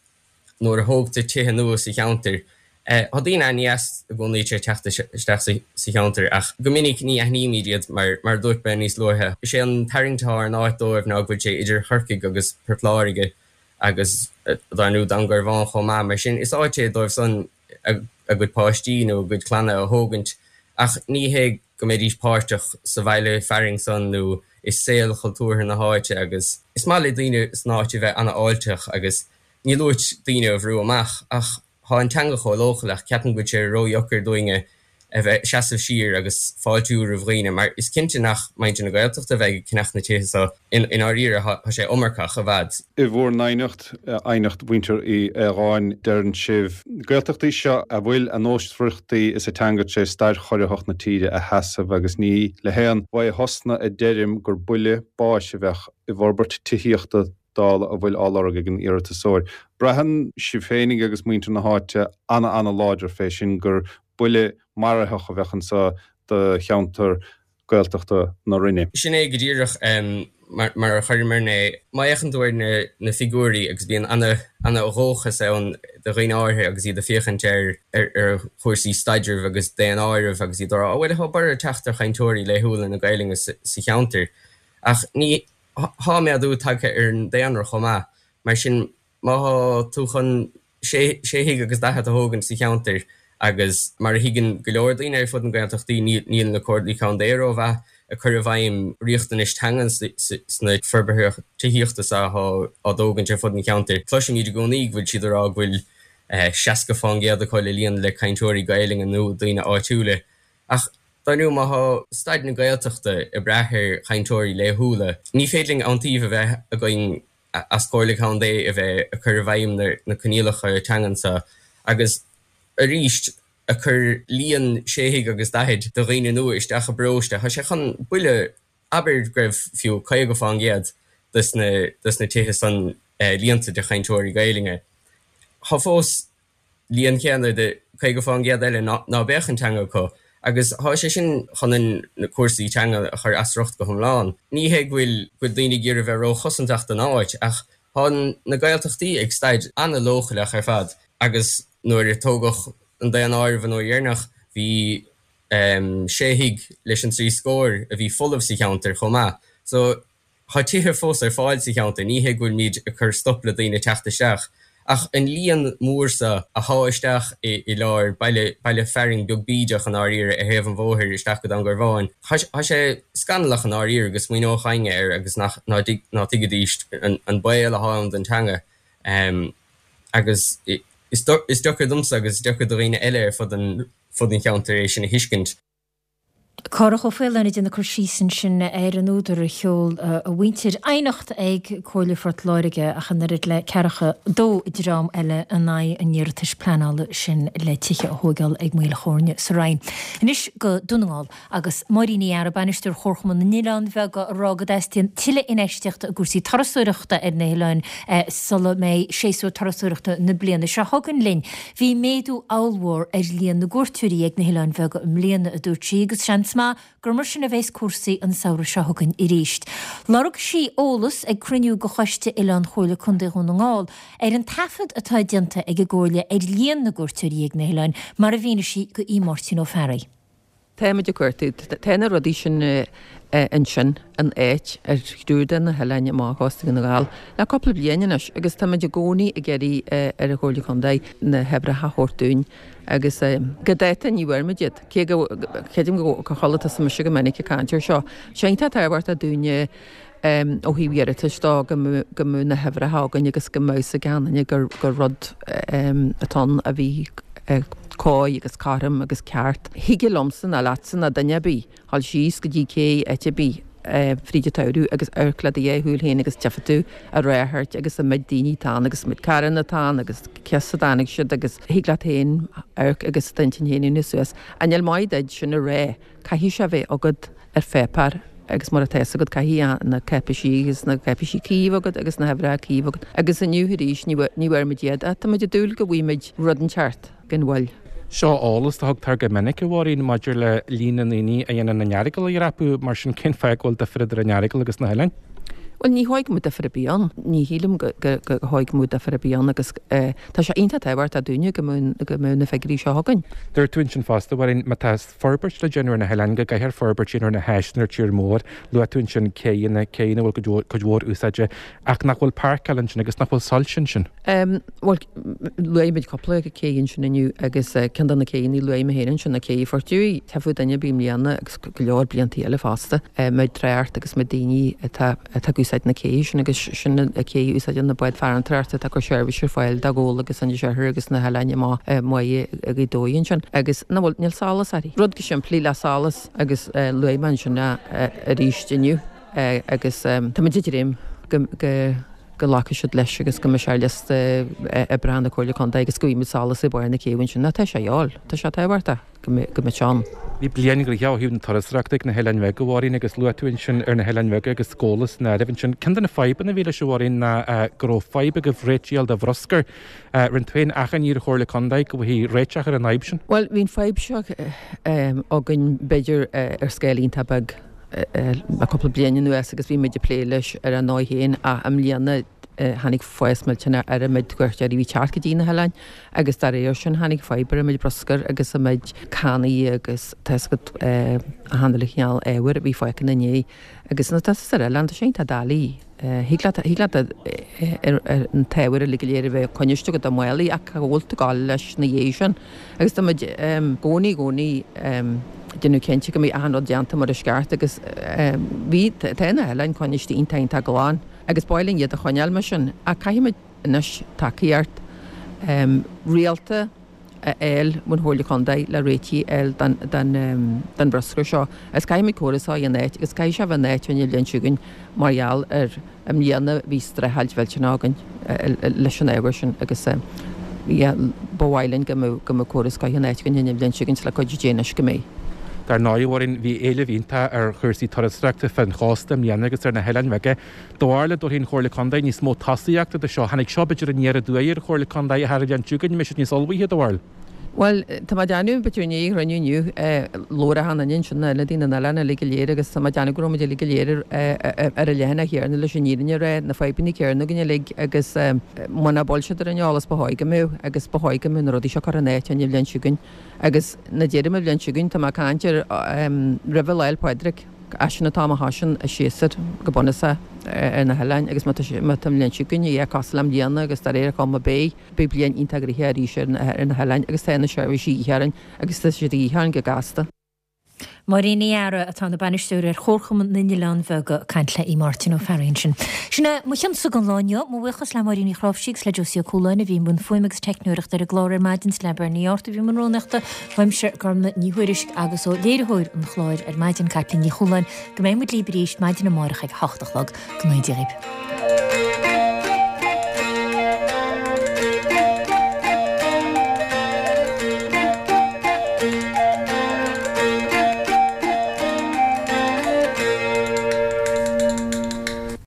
nuair a thógtar tithe nua sa cheantar. Tá daoine an-deas i gcónaí tar éis teacht isteach sa cheantar ach go minic ní aithnímid iad mar, mar a dúirt mé níos luaithe, is é an tarraingt atá ar an áit dóibh ná go bhfuil sé idir Chorcaigh agus Port Láirge agus dar ndú Dún Garbhán chomh maith. Mar sin is áit é dóibh san a gcuid páistí nó a gcuid clanna a thógaint ach ní hé go mbeidís páirteach sa bhaile fearainn san nó i saol chultúrtha na háite agus is maith le daoine san áit a bheith an-fháilteach agus níl uait daoine a bhrú amach ach thá an teanga chomh leochaileach, ceapaim go bhfuil sé ródheacair dúinne. a bheith seasamh siar agus fáiltiú roimh dhaoine mar is cinnte nach muintir na Gaeltachta a bheidh ag ceannach na tithe so i ndáiríre tá sé iomarcach i bhfad. I bhur n-aighneacht, aighneacht mhuintir Uí Aodhagáin, deireann sibh, Gaeltachtaí seo a bhfuil a nósmhaireachtaí is a teanga tar éis stair chorraitheach na tíre a sheasamh agus ní le haon bhaothosna a deirim gur buille báis a bheadh i bhforbairt tithíochta dála a bhfuil á lorg ag an iarratasóir. Braitheann sibh féinig agus muintir na háite ana-ana-láidir fé sin gur buille maraitheach a bheadh anso do cheantar Gaeltachta na Rinne. Sin é go díreach mar a chuireamarna é. Má fhéachann tú ar na figiúirí, agus bíonn ana-dhóchas ann do dhaoine áirithe agus iad ag féachaint ar chúrsaí staidrimh agus daonáirimh agus iad ag rá, bhuel, tá borradh ag teacht ar chainteoirí laethúla na Gaelainne sa cheantar. Ach ní, Tá méadú tagtha ar an daonra chomh maith, mar sin má thá tú chun sé thigh agus daichead a thógaint sa cheantar agus mar a thuigeann go leor daoine ar fud na Gaeltachtaí níl na Comhairlí Contae rómhaith ag cur i bhfeidhm riachtanais teangan sna forbartha tithíochta so athá á dtógaint ar fud an cheantair. Cloisimid i gcónaí go bhfuil siad ag rá go bhfuil 60% acu le líonadh le cainteoirí Gaelainne nó daoine áitiúla Ach dar ndóigh, má thá staid na Gaeltachta ag brath ar chainteoirí laethúla, ní féidir linn iontaoibh a bheith againn as Comhairle Contae a bheith ag cur i bhfeidhm na coinníollacha teangan so agus arís ag cur líon sé thigh agus daichead de dhaoine nua isteach i bparóiste. Thá sé chun buille, abair go raibh fiú 50% dos na tithe san líonta de chainteoirí Gaelainne. Thá fós líon céanna de 50% eile ná beadh an teanga acu agus thá sé sin chun na cúrsaí teanga a chur as riocht go hiomlán. Ní hé go bhfuil go bhfuil daoine ag iarraidh bheith ró-chosantach don áit ach thá na Gaeltachtaí ag staid an-leochaileach ar fad agus nuair a tógadh an daonáireamh an uair dheireanach bhí sé thigh leis an dtrí scór a bhí folamh sa cheantar chomh maith. So Tá tithe fós ar fáil sa cheantar, ní hé go bhfuilimid ag cur stop le daoine teacht isteach, ach an líon mór so athá isteach i lár baile, baile fearainn beag bídeach i ndáiríre ar thaobh an bhóthair isteach go Dún Garbhán, tá sé scannalach i ndáiríre go smaoineodh éinne air agus nach, ná tuigfidís an baol athá ann don teanga. Agus is deacair domsa agus is deacair do dhaoine eile ar fud an cheantair é sin a thuiscint. Cárthach Ó Faoláin ag déanamh cur síos ansin ar an údar a sheol a mhuintir aighneacht ag Comhairle Phort Láirge ach an oiread le ceathracha dó dream eile in aghaidh an iarratais pleanála sin le tithe a thóigeáil ag Maoil Chóirne sa Rinn. Anois go Dún na nGall agus Máirín Ní Eadhra, Bainisteoir Chomharchumann na nOileán Bheag ag rá go dteastaíonn tuilleadh infheistíochta i gcúrsaí turasóireachta ar na hoileáin sula mbeidh séasúr turasóireachta na bliana seo chugainn linn. Bhí méadú ollmhór ar líon na gcuairteoirí ag na hOileáin Bheaga i mbliana, a dúirt sí, agus seans maith gur mar sin a bheas cúrsaí an samhradh seo chugainn arís. Lorg sí eolas ag cruinniú de Choiste Oileán Chomhairle Contae Dhún na nGall ar an taifead atá déanta ag an gComhairle ar líon na gcuairteoirí ag na hoileáin, mar a mhínigh sí do Aodh Máirtín Ó Fearraigh. Táimid ag cuartú. Tá na rudaí sin ansin in áit ar thriúr de na hoileáin amach ó chósta Dhún na nGall le cúpla bliain anois agus táimid i gcónaí ag iarraidh ar an Chomhairle Contae na huimhreacha a thabhairt dúinn agus go dáta ní bhfuair muid iad. Cé go creidim gur chuala tusa mise go minic ag caint air seo. Sé iontach tábhachtach dúinne ó thaobh iarratais dó go mbeadh na huimhreacha againn agus go mbeadh a fhios ag gach éinne gur rud atá ann a bhí cóir agus cothrom agus ceart. Thig liomsa ná leatsa ná duine ar bith dhul síos go dtí cé áit ar bith fríd an tsamhradh agus amharc le do dhá shúil féin agus tchífidh tú an ráchairt agus an méid daoine atá ann agus an méid carranna atá ann agus cé as a dtáinig siad agus thig leat féin amharc agus d'intinn féin a dhéanamh suas. Ach níl maith duit sin a rá. Caithfidh sé a bheith agat ar pháipéar agus mura tá fhios agat caithfidh na cáipeisí agus na cáipeisí cuí a bheith agat agus na huimhreacha cuí a bheith agat. Agus inniu arís ní bhfuair muid iad ach tá muid ag dúil go bhfaighidh muid rud inteacht gan mhoill. Seo eolas a thugtar go minic, a Mháirín, maidir le líon na ndaoine a dhéanann an Earagail a dhreapadh, mar sin cén fáth go bhfuil difear idir an Earagail agus na hoileáin? Bhuel, ní dhóigh go mbeadh difear ar bith ann. Ní shílim go dhóigh go mbeadh difear ar bith ann agus tá sé iontach tábhachtach dúinne go mbeadh na figiúirí seo againn. Dúirt tú ansin fosta, a Mháirín, má tá forbairt le déanamh ar na hoileáin, go gcaithfear forbairt a dhéanamh ar na háiseanna ar tír mór. Luaigh tú ansin céidheanna, céidheanna a bhfuil cuid mhór úsáide, ach nach bhfuil páirceáil ansin agus nach bhfuil soilse ansin. Bhuel, luaigh muid cúpla cé ansin inniu agus ceann de na céidheanna a luaigh mé féin ansin ná cé Phort Dúiche. Tchífeadh duine ar bith i mbliana agus go leor blianta eile fosta, méid trácht agus méid daoine atá ag úsáid. úsáid na céidhe sin agus sin an cé a úsáideann na báid farantóireachta atá ag cur seirbhís ar fáil do Ghabhla agus Inis Oirthir agus na hoileáin amach i mBáighe Ghaoth Dobhair ansin agus nach bhfuil, níl solas uirthi. Rud chomh simplí le solas agus luaigh mé ansin é arís inniu agus táimid ag dréim go go go nglacfaidh siad leis agus go mbeidh sé ar liosta oibreacha na Comhairle Contae agus go bhfaighimid solas ag barr na céibhe ansin. Tá sé a dhíobháil, tá sé tábhachtach. go mbeadh sé ann. Bhí bliain ghnoitheach ó thaobh na turasóireachta ag na hOileáin Bheaga, a Mháirín, agus luaigh tú ansin ar na hOileáin Bheaga agus Gabhla san áireamh ansin. Ceann de na fadhbanna a bhí leis, a Mháirín, ná go raibh fadhb agaibh réiteach a fháil do bhruscar. Rinne tú féin achainí ar an Chomhairle Contae go bhfaighfí réiteach ar an fhadhb sin. Bhuel, bhí an fadhb seo againn, b'fhéidir, ar scála iontach beag le cúpla bliain anuas agus bhí muid ag plé leis ar ár ndóigh féin ach i mbliana tháinig fás millteanach ar an méid cuairteoirí a bhí ag teacht go dtí na hoileáin agus dá réir sin tháinig fadhb ar an méid bruscair agus an méid cannaí agus tá 'fhios agat achan uile chineál ábhair a bhí fágtha ina ndiaidh agus nuair atá tusa ar oileán tá sé iontach doiligh thig leat thig leat an t-ábhar uilig go léir a bheith coinniste agat i málaí ach cá bhfuil tú ag gabháil leis ina dhiaidh sin agus tá muid i gcónaí i gcónaí déanamh cinnte go mbeidh achan rud déanta mar is ceart agus bhí tá na hoileáin coinniste iontach iontach glan. Agus ba mhaith linn iad a choinneáil mar sin, ach caithfimid anois tacaíocht rialta a fháil ón Chomhairle Contae le réitigh a fháil don bhruscar seo. Agus caithfimid córas a fháil in áit, agus caithfidh sé a bheith in áit an bhliain seo chugainn mar gheall ar i mbliana bhí streachailt mhillteanach againn leis an ábhar sin agus yeah ba mhaith linn go mbeadh go mbeadh córas scoith in áit againn an bhliain seo chugainn le cuidiú Dé anois go mbeidh. Dar ndóigh, a Mháirín, bhí éileamh iontach ar chúrsaí turasóireachta fén chósta i mbliana agus ar na hoileáin bheaga. Do bharúil an dtabharfaidh an Chomhairle Contae níos mó tosaíochta do seo. Tháinig seo b'fhéidir aniar aduaidh ar an Chomhairle Contae ach ar an bhliain seo chugainn an mbeidh siad níos ullmhaithe, do bharúil? Bhuel, tá mé ag déanamh, b'fhéidir i ndiaidh an chruinniú inniu, labhair achan duine ansin, na hionadaithe na n-oileán uilig go léir agus tá mé ag déanamh go raibh muid uilig go léir ar an leathanach chéanna leis an fhírinne a rá, na fadhbanna céanna againn uilig agus muna bhfuil siad ar an eolas ba chóir go mbeadh agus ba chóir go mbeadh na rudaí seo curtha in áit an bhliain seo chugainn. Agus nuair a deirim an bhliain seo chugainn, tá mé ag caint ar roimh Lá 'le Pádraig, as sin an t-am a thosaíonn an séasúr go bunúsach ar na hoileáin agus má tá an bhliain seo chugainn a bheith cosúil le i mbliana agus de réir an chuma beidh, beidh bliain iontach gnoitheach arís ar na hoileáin agus tá na seirbhísí de dhíth orainn agus tá siad de dhíth orainn go gasta. Máirín Ní Eadhra, atá ina bainisteoir ar Chomharchumann na nOileán Bheag, ag caint le Máirtín Ó Fearraigh ansin. Sin é mo chionsa don lá inniu. Mo bhuíochas le Máirín Ní Chnáimhsí agus le Josie Ó Cualáin a bhí i mbun fuaime agus teicneoireachta ar an gclár ar maidin, is le Bernie Arthur a bhí i mbun rúnaíochta. Uaimse, Gormlaith Ní Thuairisg, agus ó léiritheoir an chláir ar maidin, Caitlín Ní Chualáin, go mbeidh muid libh arís maidin amárach ag a hocht a chlog. Go ndéana Dia dhaoibh.